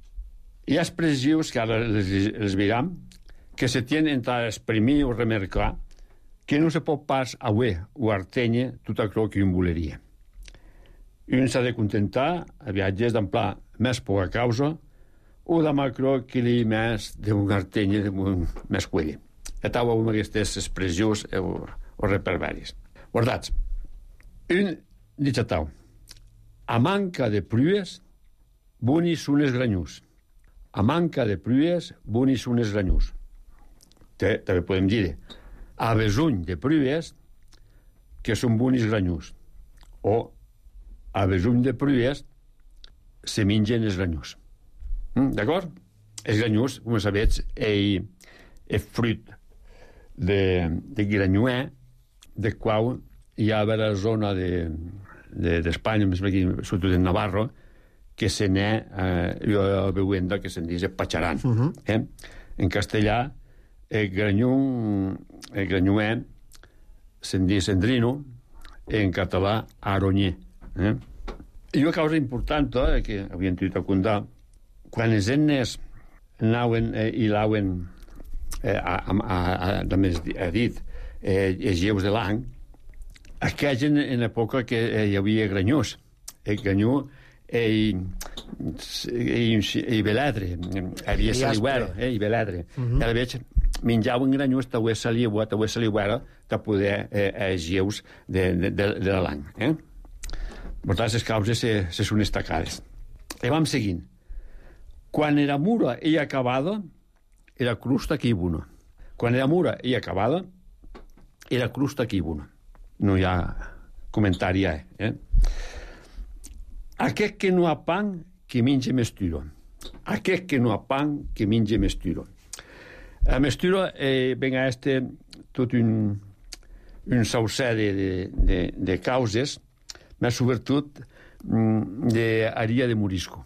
hi ha expressius que ara les, les viram que se tienen a exprimir o remarcar que no se pot pas auer o artenye tot allò que un voleria. Un s'ha de contentar a viatges d'amplà més poca causa o de macro que li més d'un artenye d'un més cuelli. I tau amb aquestes expressions o, o reperberis. Guardats, un dit a tau, a manca de pluies, bonis són els granyús. A manca de pluies, bonis són els granyús. També podem dir a besuny de pluies, que són bonis granyús. O a besuny de pluies, se mengen els granyús. Mm, D'acord? Els granyús, com sabeu, és fruit de, de granyuer, de qual hi ha a la zona de, de, d'Espanya, més aquí, sobretot en Navarro, que se n'è eh, veuenda que se'n diu patxaran. Uh-huh. eh? En castellà, el granyú, el granyuer se'n diu cendrino, en català, aronyer. Eh? I una causa important, eh, que havien tingut a contar, quan els ennes anaven eh, i l'auen, eh, a, a, a, també ha dit, eh, els lleus de l'any, aquells en, en època que eh, hi havia granyós. El granyú i, i, i veladre. Havia saliguera, eh, i veladre. Uh-huh. I veig, menjaven granyús, t'ho és saliua, t'ho és saliguera, de poder eh, els lleus de, de, de, de l'any. Eh? Per tant, les causes se, se són destacades. I vam seguint. Quan era mura i acabada, era crusta que hi buna. Quan era mura i acabada, era crusta que hi buna. No hi ha comentari, eh? Aquest que no ha pan, que menja mesturo. Aquest que no ha pan, que menja mesturo. A mesturo, eh, venga este, tot un, un saucer de, de, de, de causes, però sobretot d'aria de morisco,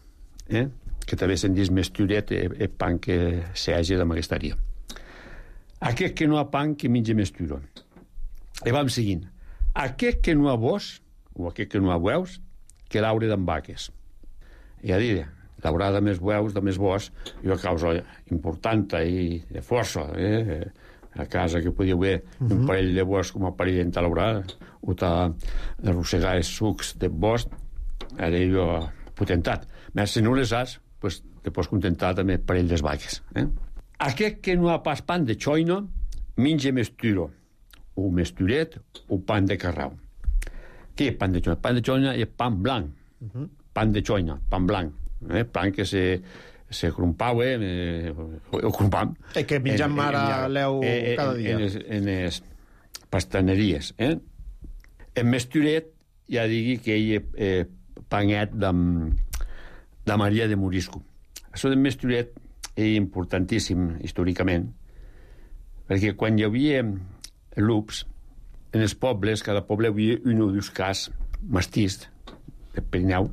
eh? Que també se'n diu mesturet, el eh, pan que s'hagi amb aquesta aria. Aquest que no ha pan, que menja mesturo. I vam seguint. Aquest que no ha bos, o aquest que no ha bueus, que l'aure d'en vaques. I a dir, l'aurada més bueus, de més bos, i una causa important i de força, eh? A casa que podia haver uh-huh. un parell de bosc com a parell d'entalaurada, o d'arrossegar els sucs de bosc, era jo potentat. Però si no les has, pues, te pots contentar també parell de vaques. Eh? Aquest que no ha pas pan de xoino, menja mesturo. o mesturet o pan de carrau. Què és pan de xoina? Pan de xoina és pan blanc. Uh-huh. Pan de xoina, pan blanc. Eh? Pan que se, se crumpau, eh? o crumpam. I que menjam ara l'eu eh, cada dia. En les, en les pastaneries. Eh? En mesturet ja digui que ell és eh, panet de, de Maria de Morisco. Això de mesturet és importantíssim històricament, perquè quan hi havia lups, en els pobles, cada poble hi havia un o dos cas mastís de Pirineu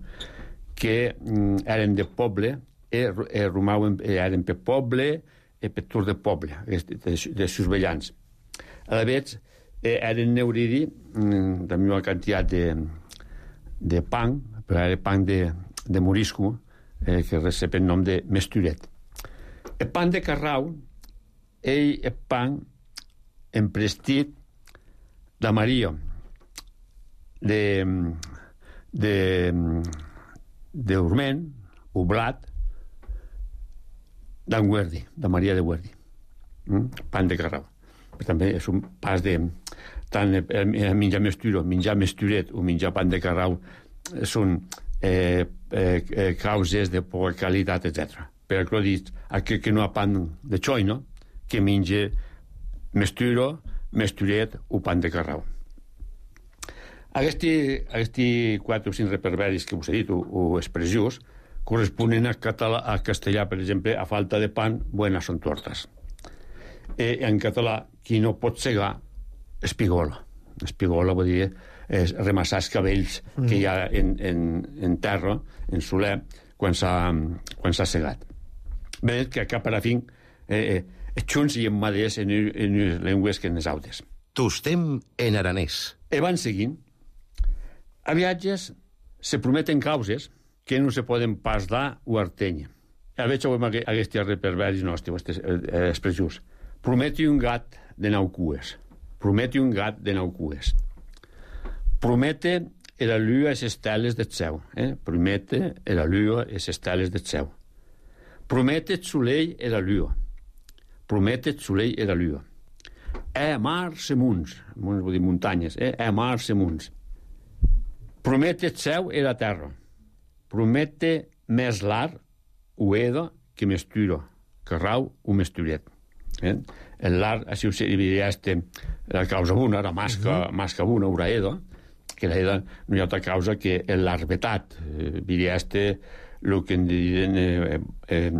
que mm, eren de poble i eh, romaven, eh, eren per poble i per tur de poble, de, de, de susvellants. A la vegada, eh, eren neuridi mm, de una quantitat de, de pan, però era pan de, de morisco, eh, que recep el nom de mesturet. El pan de carrau, ell és pan emprestit de Maria, de, de, de Urment, oblat, d'en Guerdi, de Maria de Guerdi. Mm? Pan de carrau. Però també és un pas de... Tant el, el menjar mesturo, menjar mesturet o menjar pan de carrau són eh, eh, eh, causes de poca qualitat, etcètera. Per això dic, aquell que no ha pan de xoina, que menja mesturo, mesturet o pan de carrau. Aquests, aquests quatre o cinc reperberis que us he dit, o, o expressions, corresponen a, català, a castellà, per exemple, a falta de pan, buenas son tortas. I en català, qui no pot segar, espigola. Espigola vol dir és remassar els cabells mm. que hi ha en, en, en terra, en soler, quan s'ha segat. Bé, que cap a la fin eh, eh, junts i emmaders en, en les llengües que en les altres. Tostem en aranès. I van seguint. A viatges se prometen causes que no se poden pas dar o artenya. A veure, ho hem aquests reperberis nostres, aquestes eh, expressions. Prometi un gat de nou cues. Prometi un gat de nou cues. Promete era lua e les esteles del cel. Eh? Promete era lua e les esteles del cel. Promete el soleil e la lua. Promete el soleil e la lua. E mar se munts. Munts vol dir muntanyes. Eh? E mar se munts. Promete el cel e la terra. Promete més l'ar o eda que mesturo. Carrau o mesturet. Eh? L'ar, així ho serviria este, la causa una, la masca, uh -huh. masca una, ura eda, que la eda no hi ha altra causa que l'arbetat. Eh, diria este el que en diuen eh, eh,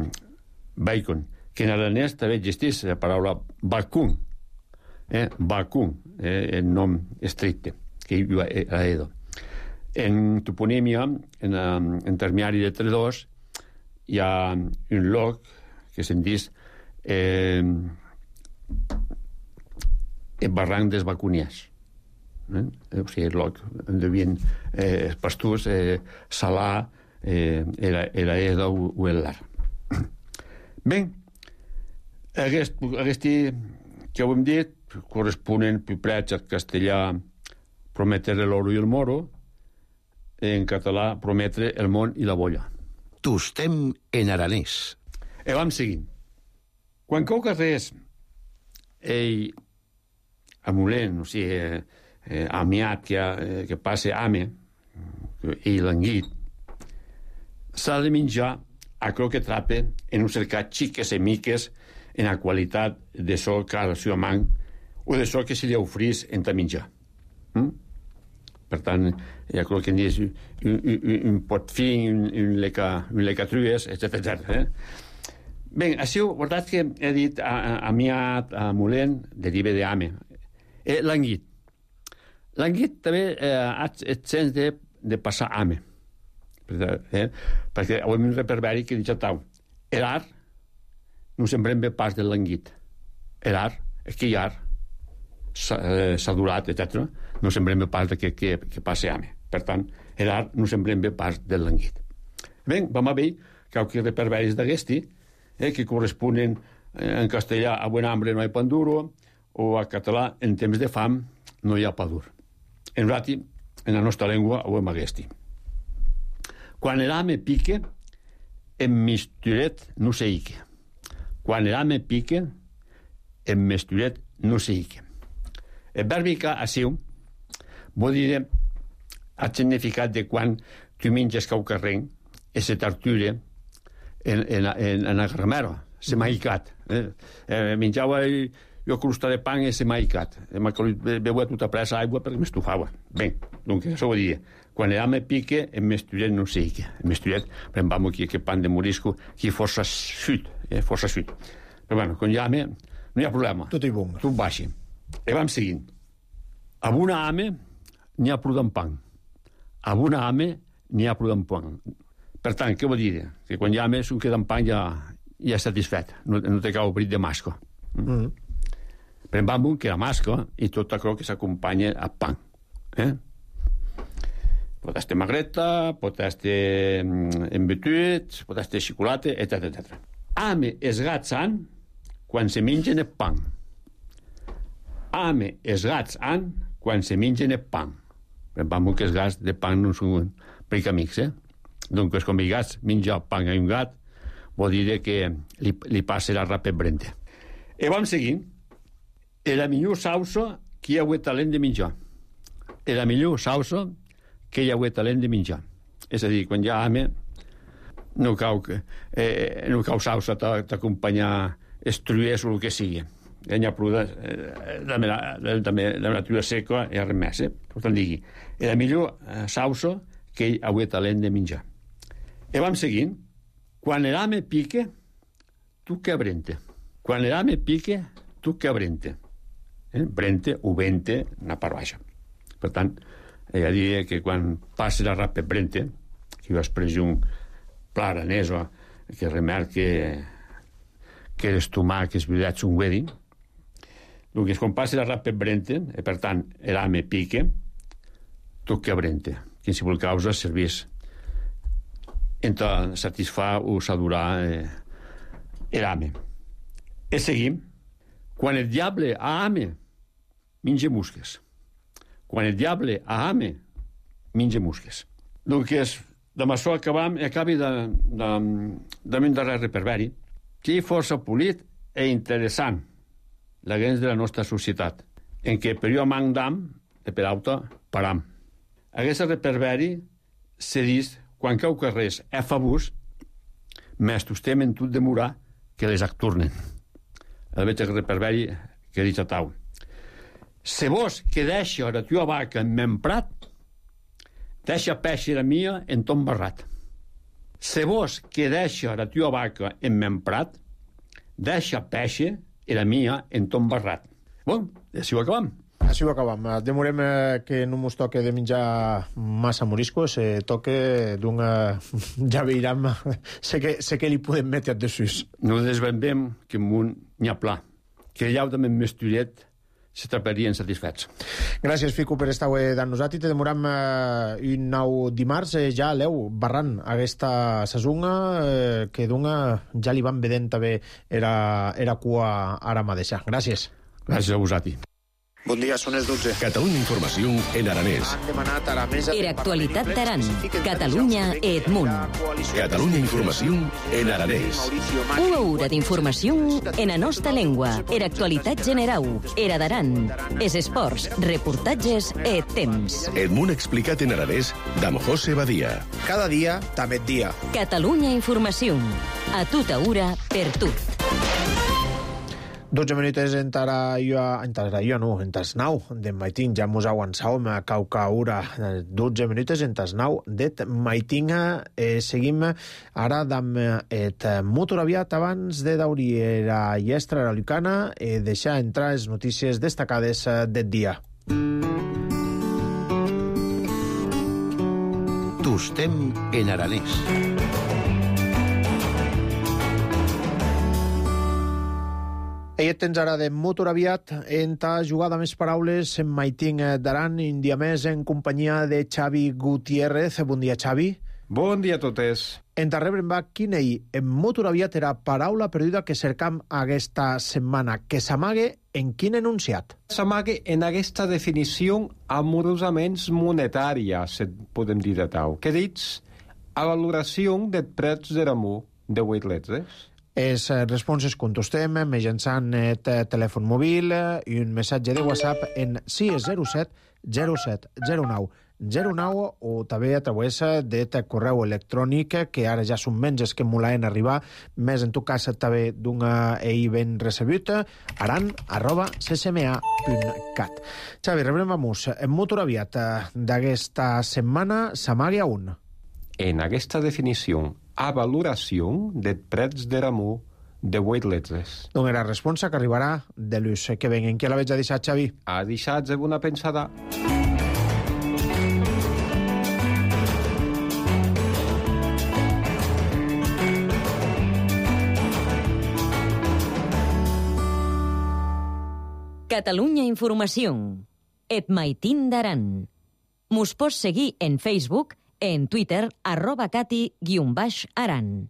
bacon, que en aranès també existeix la paraula vacun, eh? Vacun, eh? el nom estricte, que hi ha a Edo. En toponímia, en, en termiari de tredors, hi ha un lloc que se'n diu eh, el barranc dels vacuniers. Eh? O sigui, el lloc on devien eh, els pastors eh, salar eh, era, era Edo o el lar. Bé, aquest, aquest que ho hem dit corresponen piprets al castellà prometre l'oro i el moro, en català prometre el món i la bolla. Tostem en aranès. I vam seguint. Quan cau carrers ell amulent, o sigui, eh, eh, amiat que, eh, que passe ame i languit, s'ha de menjar a cro que trape en un cercat xiques i miques en la qualitat de so que ha el seu amant o de so que se li ofrís en ta menjar. Mm? Per tant, ja crec que n'hi un, un, un pot fin, un, un, leca, un lecatrues, etcètera. Eh? Bé, això, veritat que he dit a, a, a miat, a mulent, deriva d'ame. Eh, l'anguit. L'anguit també eh, ha el sens de, de passar ame. Eh? Perquè ho hem un reperberi que diu tau. L'ar no sembrem bé pas de l'anguit. L'ar, és que hi ha sadurat, etcètera, no sembrem bé pas que, que, que passe ame. Per tant, l'ar no sembrem bé pas de l'anguit. Bé, vam a veure que hi ha reperberis d'aquesti eh, que corresponen eh, en castellà a buen hambre no hi ha pan duro o a català en temps de fam no hi ha pa dur. En rati, en la nostra llengua ho hem aquest. Quan l'ame pique, en misturet no se ique. Quan l'ame pique, en misturet no se ique. El verb assiu vol dir el significat de quan tu menges caucarrenc i se t'arture en, en, en, en el gramero, se m'ha icat. Eh? Eh, menjava jo crusta de pan i se m'ha icat. Beuia tota pressa aigua perquè m'estufava. Bé, doncs això vol dir, quan l'ham me pique, el mesturet no sé què. El mesturet, prendam aquí aquest pan de morisco, que força suit, eh? força suit. Però bueno, quan llame, no hi ha problema. Tot i bon. Tot baixi. I vam seguint. Amb una ame n'hi ha prou d'en pan. Amb una ame n'hi ha prou d'en pan. Per tant, què vol dir? Que quan llame, un queda en pan ja, ja és satisfet. No, no té cau brit de masco. Mm. Mm. Pren bambú, que era masco, i tot això que s'acompanya a pan. Eh? Pot estar magreta, pot estar embetut, pot estar xocolata, etcètera etcètera. Ame els gats han quan se mengen el pan. Ame els gats han quan se mengen el pan. Vam que els gats de pan no són prec amics, eh? Doncs com els gats menja pan a un gat, vol dir que li, li passa la rapa brenta. I vam seguint. E la millor sausa que hi ha hagut talent de menjar. E la millor sausa que hi ha hagut talent de menjar. És a dir, quan hi ha hame, no cau, eh, no cau sausa t'acompanyar estruers o el que sigui. Hi ha prou de, de, de, de la natura seca i res més. Eh? Per tant, digui, és la millor eh, sausa que hi ha hagut talent de menjar. I vam seguint. Quan l'hame pique, tu que brente. Quan l'hame pique, tu que brente. Eh? Brente o vente, una part baixa. Per tant, ella diria que quan passa la rapa brente, que jo expressió un pla aranès que remarque que els tomàquets veritats són wedding, doncs quan passa la rapa brente, i per tant l'ame pique, tot que brente. Qualsevol causa serveix entre satisfar o sadurar eh, l'ame. I seguim. Quan el diable ha ame, menja musques. Quan el diable ha ame, menja musques. Doncs, amb això acabam, acabi de, de, de un darrer reperberi, que és força polit i interessant, la gens de la nostra societat, en què per jo mandam i per auto param. Aquest reperberi se diu, quan cau carrers è fabús, més tostem en tot demorar que les acturnen. El veig el reperberi que dic a tau. Se vos que deixa la tua vaca en m'emprat, deixa peixe la mia en ton barrat. Se vos que deixa la tua vaca en m'emprat, deixa peixe la mia en ton barrat. Bon, i així ho acabam. Així ho acabam. Demorem eh, que no mos toque de menjar massa moriscos, se toque d'una... Ja veurem, sé que, sé que li podem metre de sus. No desvendem que en un n'hi ha pla, que allà també més turet se traparien satisfets. Gràcies, Fico, per estar amb nosaltres. Te demoram eh, un nou dimarts, eh, ja l'eu barrant aquesta sasunga, eh, que d'una ja li van vedent també era, era cua ara mateixa. Gràcies. Gràcies a vosaltres. Bon dia, són les dotze. Catalunya Informació en aranès. Han demanat a la mesa... Era actualitat d'Aran. Catalunya Edmunt. Catalunya Informació en aranès. Una hora d'informació en la nostra llengua. Era actualitat general. Era d'Aran. Es esports, reportatges e temps. Edmunt explicat en aranès d'amb José Badia. Cada dia, també dia. Catalunya Informació. A tota hora, per tot. dotze minuts entrarà jo, entrarà jo no, entres nou de maitin, ja mos avançàvem a caucaura, dotze minuts entres nou de maitin, eh, seguim ara amb et motor aviat abans de dauri la llestra la lucana i eh, deixar entrar les notícies destacades del dia. Tostem en aranès. Ell tens ara de motor aviat en ta jugada més paraules en Maiting d'Aran, un dia més en companyia de Xavi Gutiérrez. Bon dia, Xavi. Bon dia a totes. En ta rebre'm va quina hi en motor aviat era paraula perduda que cercam aquesta setmana, que s'amague en quin enunciat? S'amague en aquesta definició amorosament monetària, se podem dir de tau, que dits a valoració de preus de l'amor de vuit letres. Els responses contestem mitjançant el telèfon mòbil i un missatge de WhatsApp en sis zero set zero set zero nou zero nou o també a través del correu electrònic que ara ja són menys que molaen arribar, més en tot cas també d'un ei ben recebut, aran arroba ccma punt cat. Xavi, rebrem vamos molt aviat d'aquesta setmana, Samaria un. En aquesta definició, a valoració de prets de ramó de vuit letres. Doncs la resposta que arribarà de l'ús que venguen. Qui la veig a deixar, Xavi? A deixar-se una pensada. Catalunya Informació. Et maitin d'aran. Mos pots seguir en Facebook, en Twitter, arroba cati guion baix aran.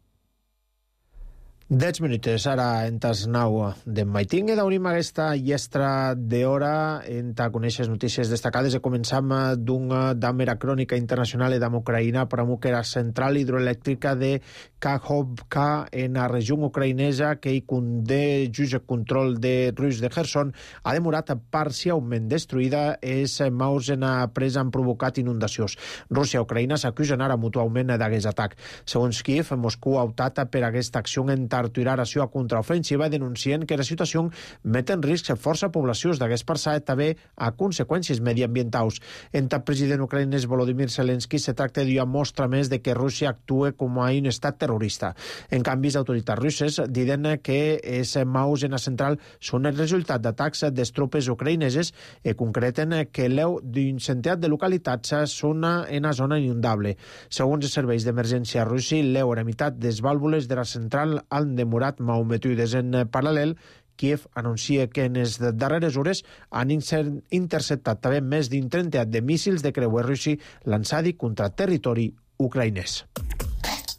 Dez minuts, ara en tas nau d'en Maiting, i d'obrim aquesta llestra d'hora en ta conèixer notícies destacades. E començam d'una d'amera crònica internacional d'am Ucraïna per a que la central hidroelèctrica de Kakhovka en la regió ucraïnesa que hi condé just el control de rus de Kherson ha demorat parcialment destruïda. Els maus en la presa han provocat inundacions. Rússia i Ucraïna s'acusen ara mutualment d'aquest atac. Segons Kiev, Moscou ha optat per aquesta acció en aturar la seva contraofensiva, denuncien que la situació met en risc força poblacions d'aquest passat també a conseqüències mediambientals. En el president ucraïnès Volodymyr Zelensky se tracta d'una mostra més de que Rússia actua com a un estat terrorista. En canvi, les autoritats russes diuen que els maus en la central són el resultat d'atacs de tropes ucraïneses i concreten que l'eu d'un centenar de localitats són en una zona inundable. Segons els serveis d'emergència russi, l'eu a la meitat de les vàlvules de la central han demorat malmetudes. En paral·lel, Kiev anuncia que en les darreres hores han interceptat també més d'un trenta de míssils de creuer russi lançats contra territori ucraïnès.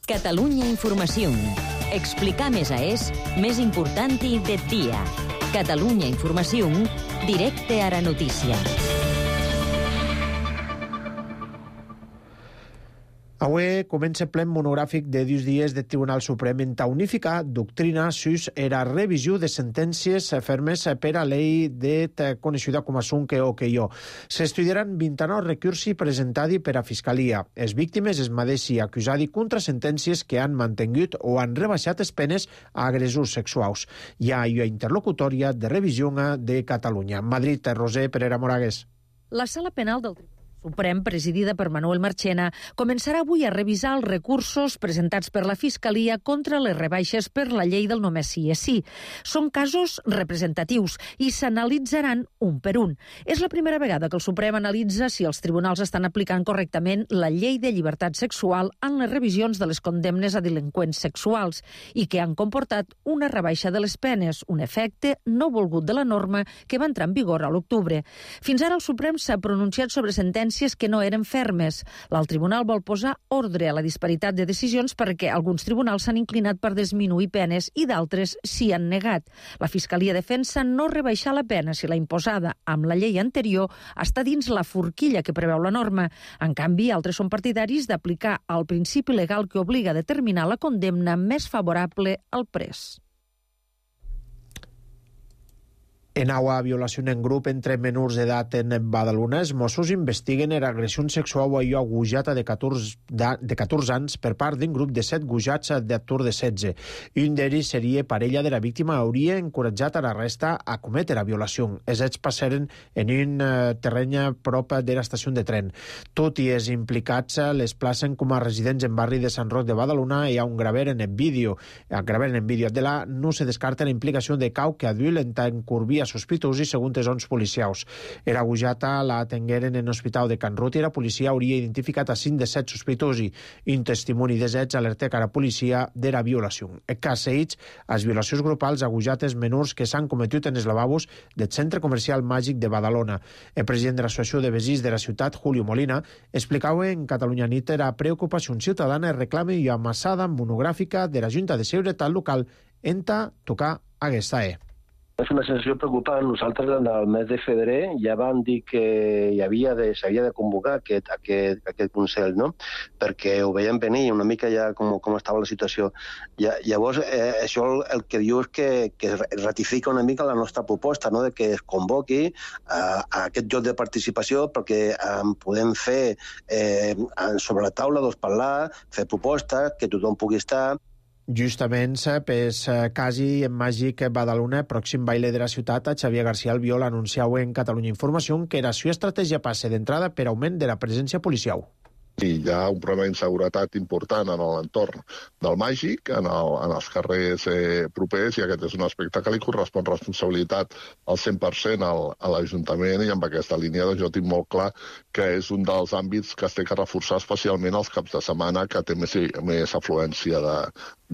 Catalunya Informació. Explicar més a és més important de dia. Catalunya Informació, directe a la notícia. Avui comença ple monogràfic de dos dies del Tribunal Suprem en ta unificar doctrina sus era revisió de sentències fermes per a llei de coneixida com a Sunque o que jo. S'estudiaran vint-i-nou recursi presentadi per a Fiscalia. Els víctimes es madeixi acusadi contra sentències que han mantingut o han rebaixat les penes a agressors sexuals. Hi ha una interlocutòria de revisió de Catalunya. Madrid, Roser Pereira Moragues. La Sala Penal del Tribunal Suprem, presidida per Manuel Marchena, començarà avui a revisar els recursos presentats per la Fiscalia contra les rebaixes per la llei del només sí és sí. Són casos representatius i s'analitzaran un per un. És la primera vegada que el Suprem analitza si els tribunals estan aplicant correctament la llei de llibertat sexual en les revisions de les condemnes a delinqüents sexuals i que han comportat una rebaixa de les penes, un efecte no volgut de la norma que va entrar en vigor a l'octubre. Fins ara el Suprem s'ha pronunciat sobre sentències que no eren fermes. L'alt tribunal vol posar ordre a la disparitat de decisions perquè alguns tribunals s'han inclinat per disminuir penes i d'altres s'hi han negat. La Fiscalia defensa no rebaixar la pena si la imposada amb la llei anterior està dins la forquilla que preveu la norma. En canvi, altres són partidaris d'aplicar el principi legal que obliga a determinar la condemna més favorable al pres. En aua violació en grup entre menors d'edat en Badalona, els Mossos investiguen era agressió sexual a allò agujata de catorze anys per part d'un grup de set gujats d'actor de setze. Un d'ells seria parella de la víctima, hauria encoratjat a la resta a cometre la violació. Els fets passaren en un terreny prop de l'estació de tren. Tot i els implicats les placen com a residents en barri de Sant Roc de Badalona i ha un graver en el vídeo. A graver en el vídeo de la no se descarta la implicació de cau que adult en tant curvia sospitosi segons els ons policials. Era agujata la atengueren en l'hospital de Can Ruti i la policia hauria identificat a cinc de set sospitosi. Un testimoni de zets alerta que la policia de la violació. El cas seguits, les violacions grupals agujates menors que s'han cometut en els lavabos del centre comercial màgic de Badalona. El president de l'associació de veïns de la ciutat, Julio Molina, explicava en Catalunya Nit la preocupació ciutadana i reclama i amassada monogràfica de la Junta de Seguretat Local en ta tocar aquesta E. És una sensació preocupant. Nosaltres en el mes de febrer ja vam dir que hi havia de, s'havia de convocar aquest, aquest, aquest Consell, no? Perquè ho veiem venir una mica ja com, com estava la situació. Ja, llavors, eh, això el, el que diu és que, que ratifica una mica la nostra proposta, no? De que es convoqui eh, a aquest lloc de participació perquè eh, podem fer eh, sobre la taula, doncs, parlar, fer propostes, que tothom pugui estar. Justament, pes quasi en màgic Badalona, pròxim baile de la ciutat, Xavier García Albiol anunciau en Catalunya Informació que la seva estratègia passa d'entrada per augment de la presència policial. Sí, hi ha un problema d'inseguretat important en l'entorn del Màgic, en, el, en els carrers eh, propers, i aquest és un aspecte que li correspon responsabilitat al cent per cent al, a l'Ajuntament, i amb aquesta línia doncs, jo tinc molt clar que és un dels àmbits que es té que reforçar especialment els caps de setmana, que té més, més afluència de,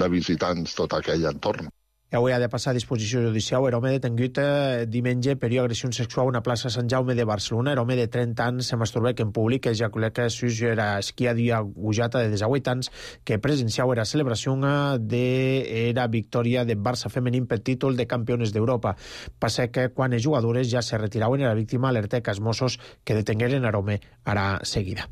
de visitants tot aquell entorn. Avui ha de passar a disposició judicial un home detengut eh, diumenge per agressió sexual a una plaça Sant Jaume de Barcelona. Un home de trenta anys se masturbà en públic, ejaculat sus era esquiadia gujata de desahuit anys que presenciau era celebració de era victòria de Barça femení per títol de campiones d'Europa. Passa que quan els jugadores ja se retiraven era víctima alerta que els Mossos que detengueren a l'home ara seguida.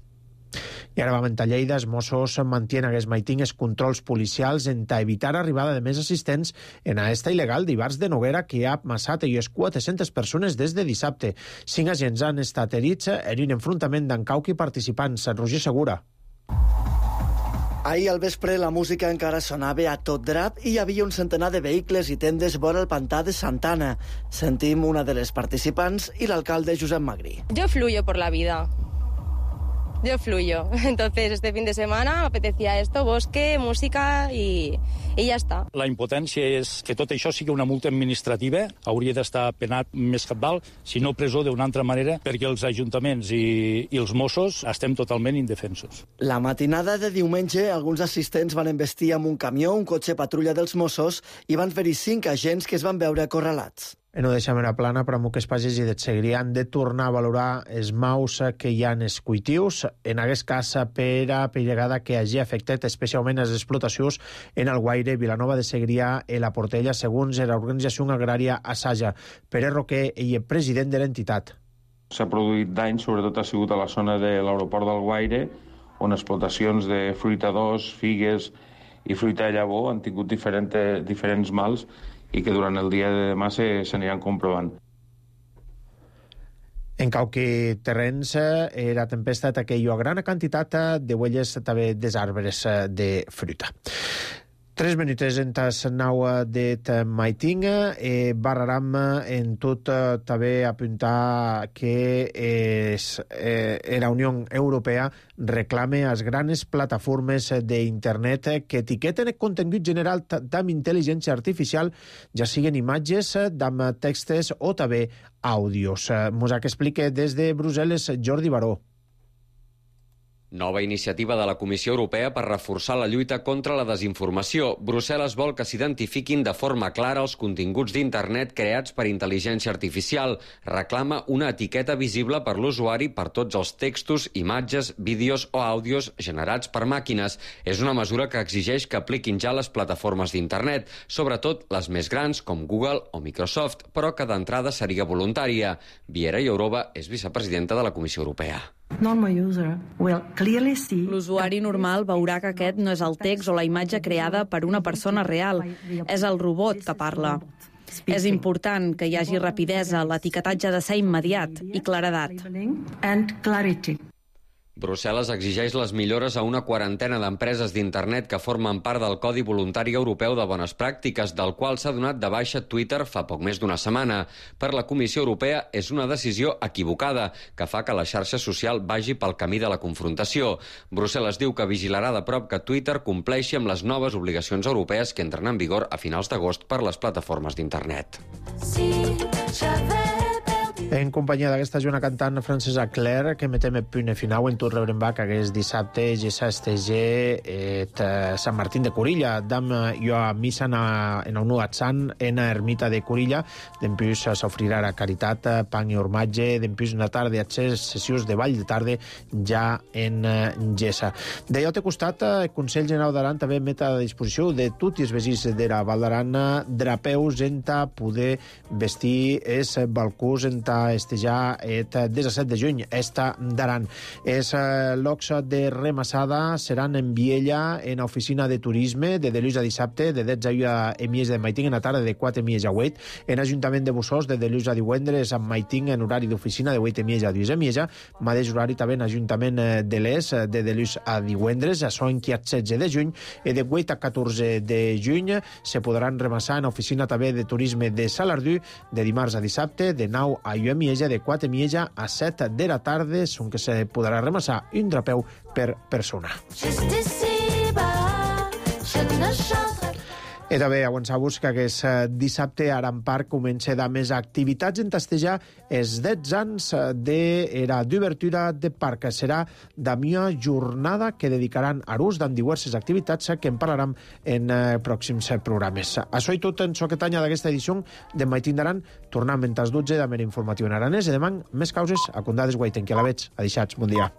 I ara vam a Lleida, els Mossos mantien aquests maitines controls policials en evitar arribada de més assistents en aquesta il·legal d'Ibars de Noguera que ha amassat i quatre-centes persones des de dissabte. Cinc agents han estat herits en un enfrontament d'encauc i participants. Roger Segura. Ahir al vespre la música encara sonava a tot drap i hi havia un centenar de vehicles i tendes vora el pantà de Santana. Sentim una de les participants i l'alcalde Josep Magrí. Jo fluyo por la vida. Yo fluyo. Entonces, este fin de semana me apetecía esto, bosque, música y, y ya está. La impotència és que tot això sigui una multa administrativa. Hauria d'estar penat més cabdal, si no presó d'una altra manera, perquè els ajuntaments i, i els Mossos estem totalment indefensos. La matinada de diumenge, alguns assistents van embestir amb un camió, un cotxe patrulla dels Mossos, i van fer-hi cinc agents que es van veure acorralats. No deixem la plana, però que els pages i dels Segrià han de tornar a valorar els maus que hi ha en els cultius. En aquest cas, per a pillegada que hagi afectat especialment les explotacions en el Guaire, Vilanova de Segrià i la Portella, segons l'organització agrària Assaja. Pere Roquer, ell és president de l'entitat. S'ha produït dany, sobretot ha sigut a la zona de l'aeroport del Guaire, on explotacions de fruita d'os, figues i fruita de llavor han tingut diferent, diferents mals i que durant el dia de demà se, se aniran comprovant. En qualque terrenys, la tempesta aquella gran quantitat de huelles també des arbres de fruita. Tres minuts en tas nau de maiting. Eh, barraram en tot eh, també apuntar que és, eh, la Unió Europea reclame a les grans plataformes d'internet que etiqueten el contingut general d'amb intel·ligència artificial, ja siguen imatges, d'amb textos o també àudios. Mos que explica des de Brussel·les Jordi Baró. Nova iniciativa de la Comissió Europea per reforçar la lluita contra la desinformació. Brussel·les vol que s'identifiquin de forma clara els continguts d'internet creats per intel·ligència artificial. Reclama una etiqueta visible per l'usuari per tots els textos, imatges, vídeos o àudios generats per màquines. És una mesura que exigeix que apliquin ja les plataformes d'internet, sobretot les més grans com Google o Microsoft, però que d'entrada seria voluntària. Viera Jourova és vicepresidenta de la Comissió Europea. L'usuari normal veurà que aquest no és el text o la imatge creada per una persona real, és el robot que parla. És important que hi hagi rapidesa, l'etiquetatge ha de ser immediat i claredat. Brussel·les exigeix les millores a una quarantena d'empreses d'internet que formen part del Codi Voluntari Europeu de Bones Pràctiques, del qual s'ha donat de baixa Twitter fa poc més d'una setmana. Per la Comissió Europea és una decisió equivocada, que fa que la xarxa social vagi pel camí de la confrontació. Brussel·les diu que vigilarà de prop que Twitter compleixi amb les noves obligacions europees que entren en vigor a finals d'agost per les plataformes d'internet. Sí, En companyia d'aquesta juna cantant francesa Claire, que metem el punt final en tot rebrem va que hagués dissabte ja s'estege et Sant Martín de Corilla. Dam jo a missa en el nuat sant en a ermita de Corilla. Dempús s'ofrirà a caritat, pan i ormatge. Dempús una tarda accés sessions de ball de tarda ja en Gessa. De jo te costat, el Consell General d'Aran també met a disposició de tots els veïns de la Val d'Aran drapeus en ta poder vestir es balcús en ta estejar et disset de juny esta d'Aran. Es locs de remassada seran en Viella en oficina de turisme de dilluns a dissabte de dotze a mies de Maiting en la tarda de quatre mies a vuit. En Ajuntament de Bussós de dilluns a divendres amb Maiting en horari d'oficina de vuit mies a dotze mies. Mateix horari també en Ajuntament de l'Es de dilluns a divendres. Això en qui setze de juny i de vuit a catorze de juny se podran remassar en oficina també de turisme de Salardú de dimarts a dissabte de nou a u Mieja de quatre Mieja a set de la tarda, on que se podrà remassar un drapeu per persona. I també avançar-vos que aquest dissabte a Aran Park comença de més activitats en tastejar els dotze anys de la d'obertura de parc. Serà la mia jornada que dedicaran a l'ús amb diverses activitats que en parlarem en pròxims programes. Això i tot en aquest any d'aquesta edició de Maiting d'Aran. Tornem en tas dotze de Mera Informatiu en aranès i demà més causes a Condades Guaiten, que la veig. Adeixats, bon dia.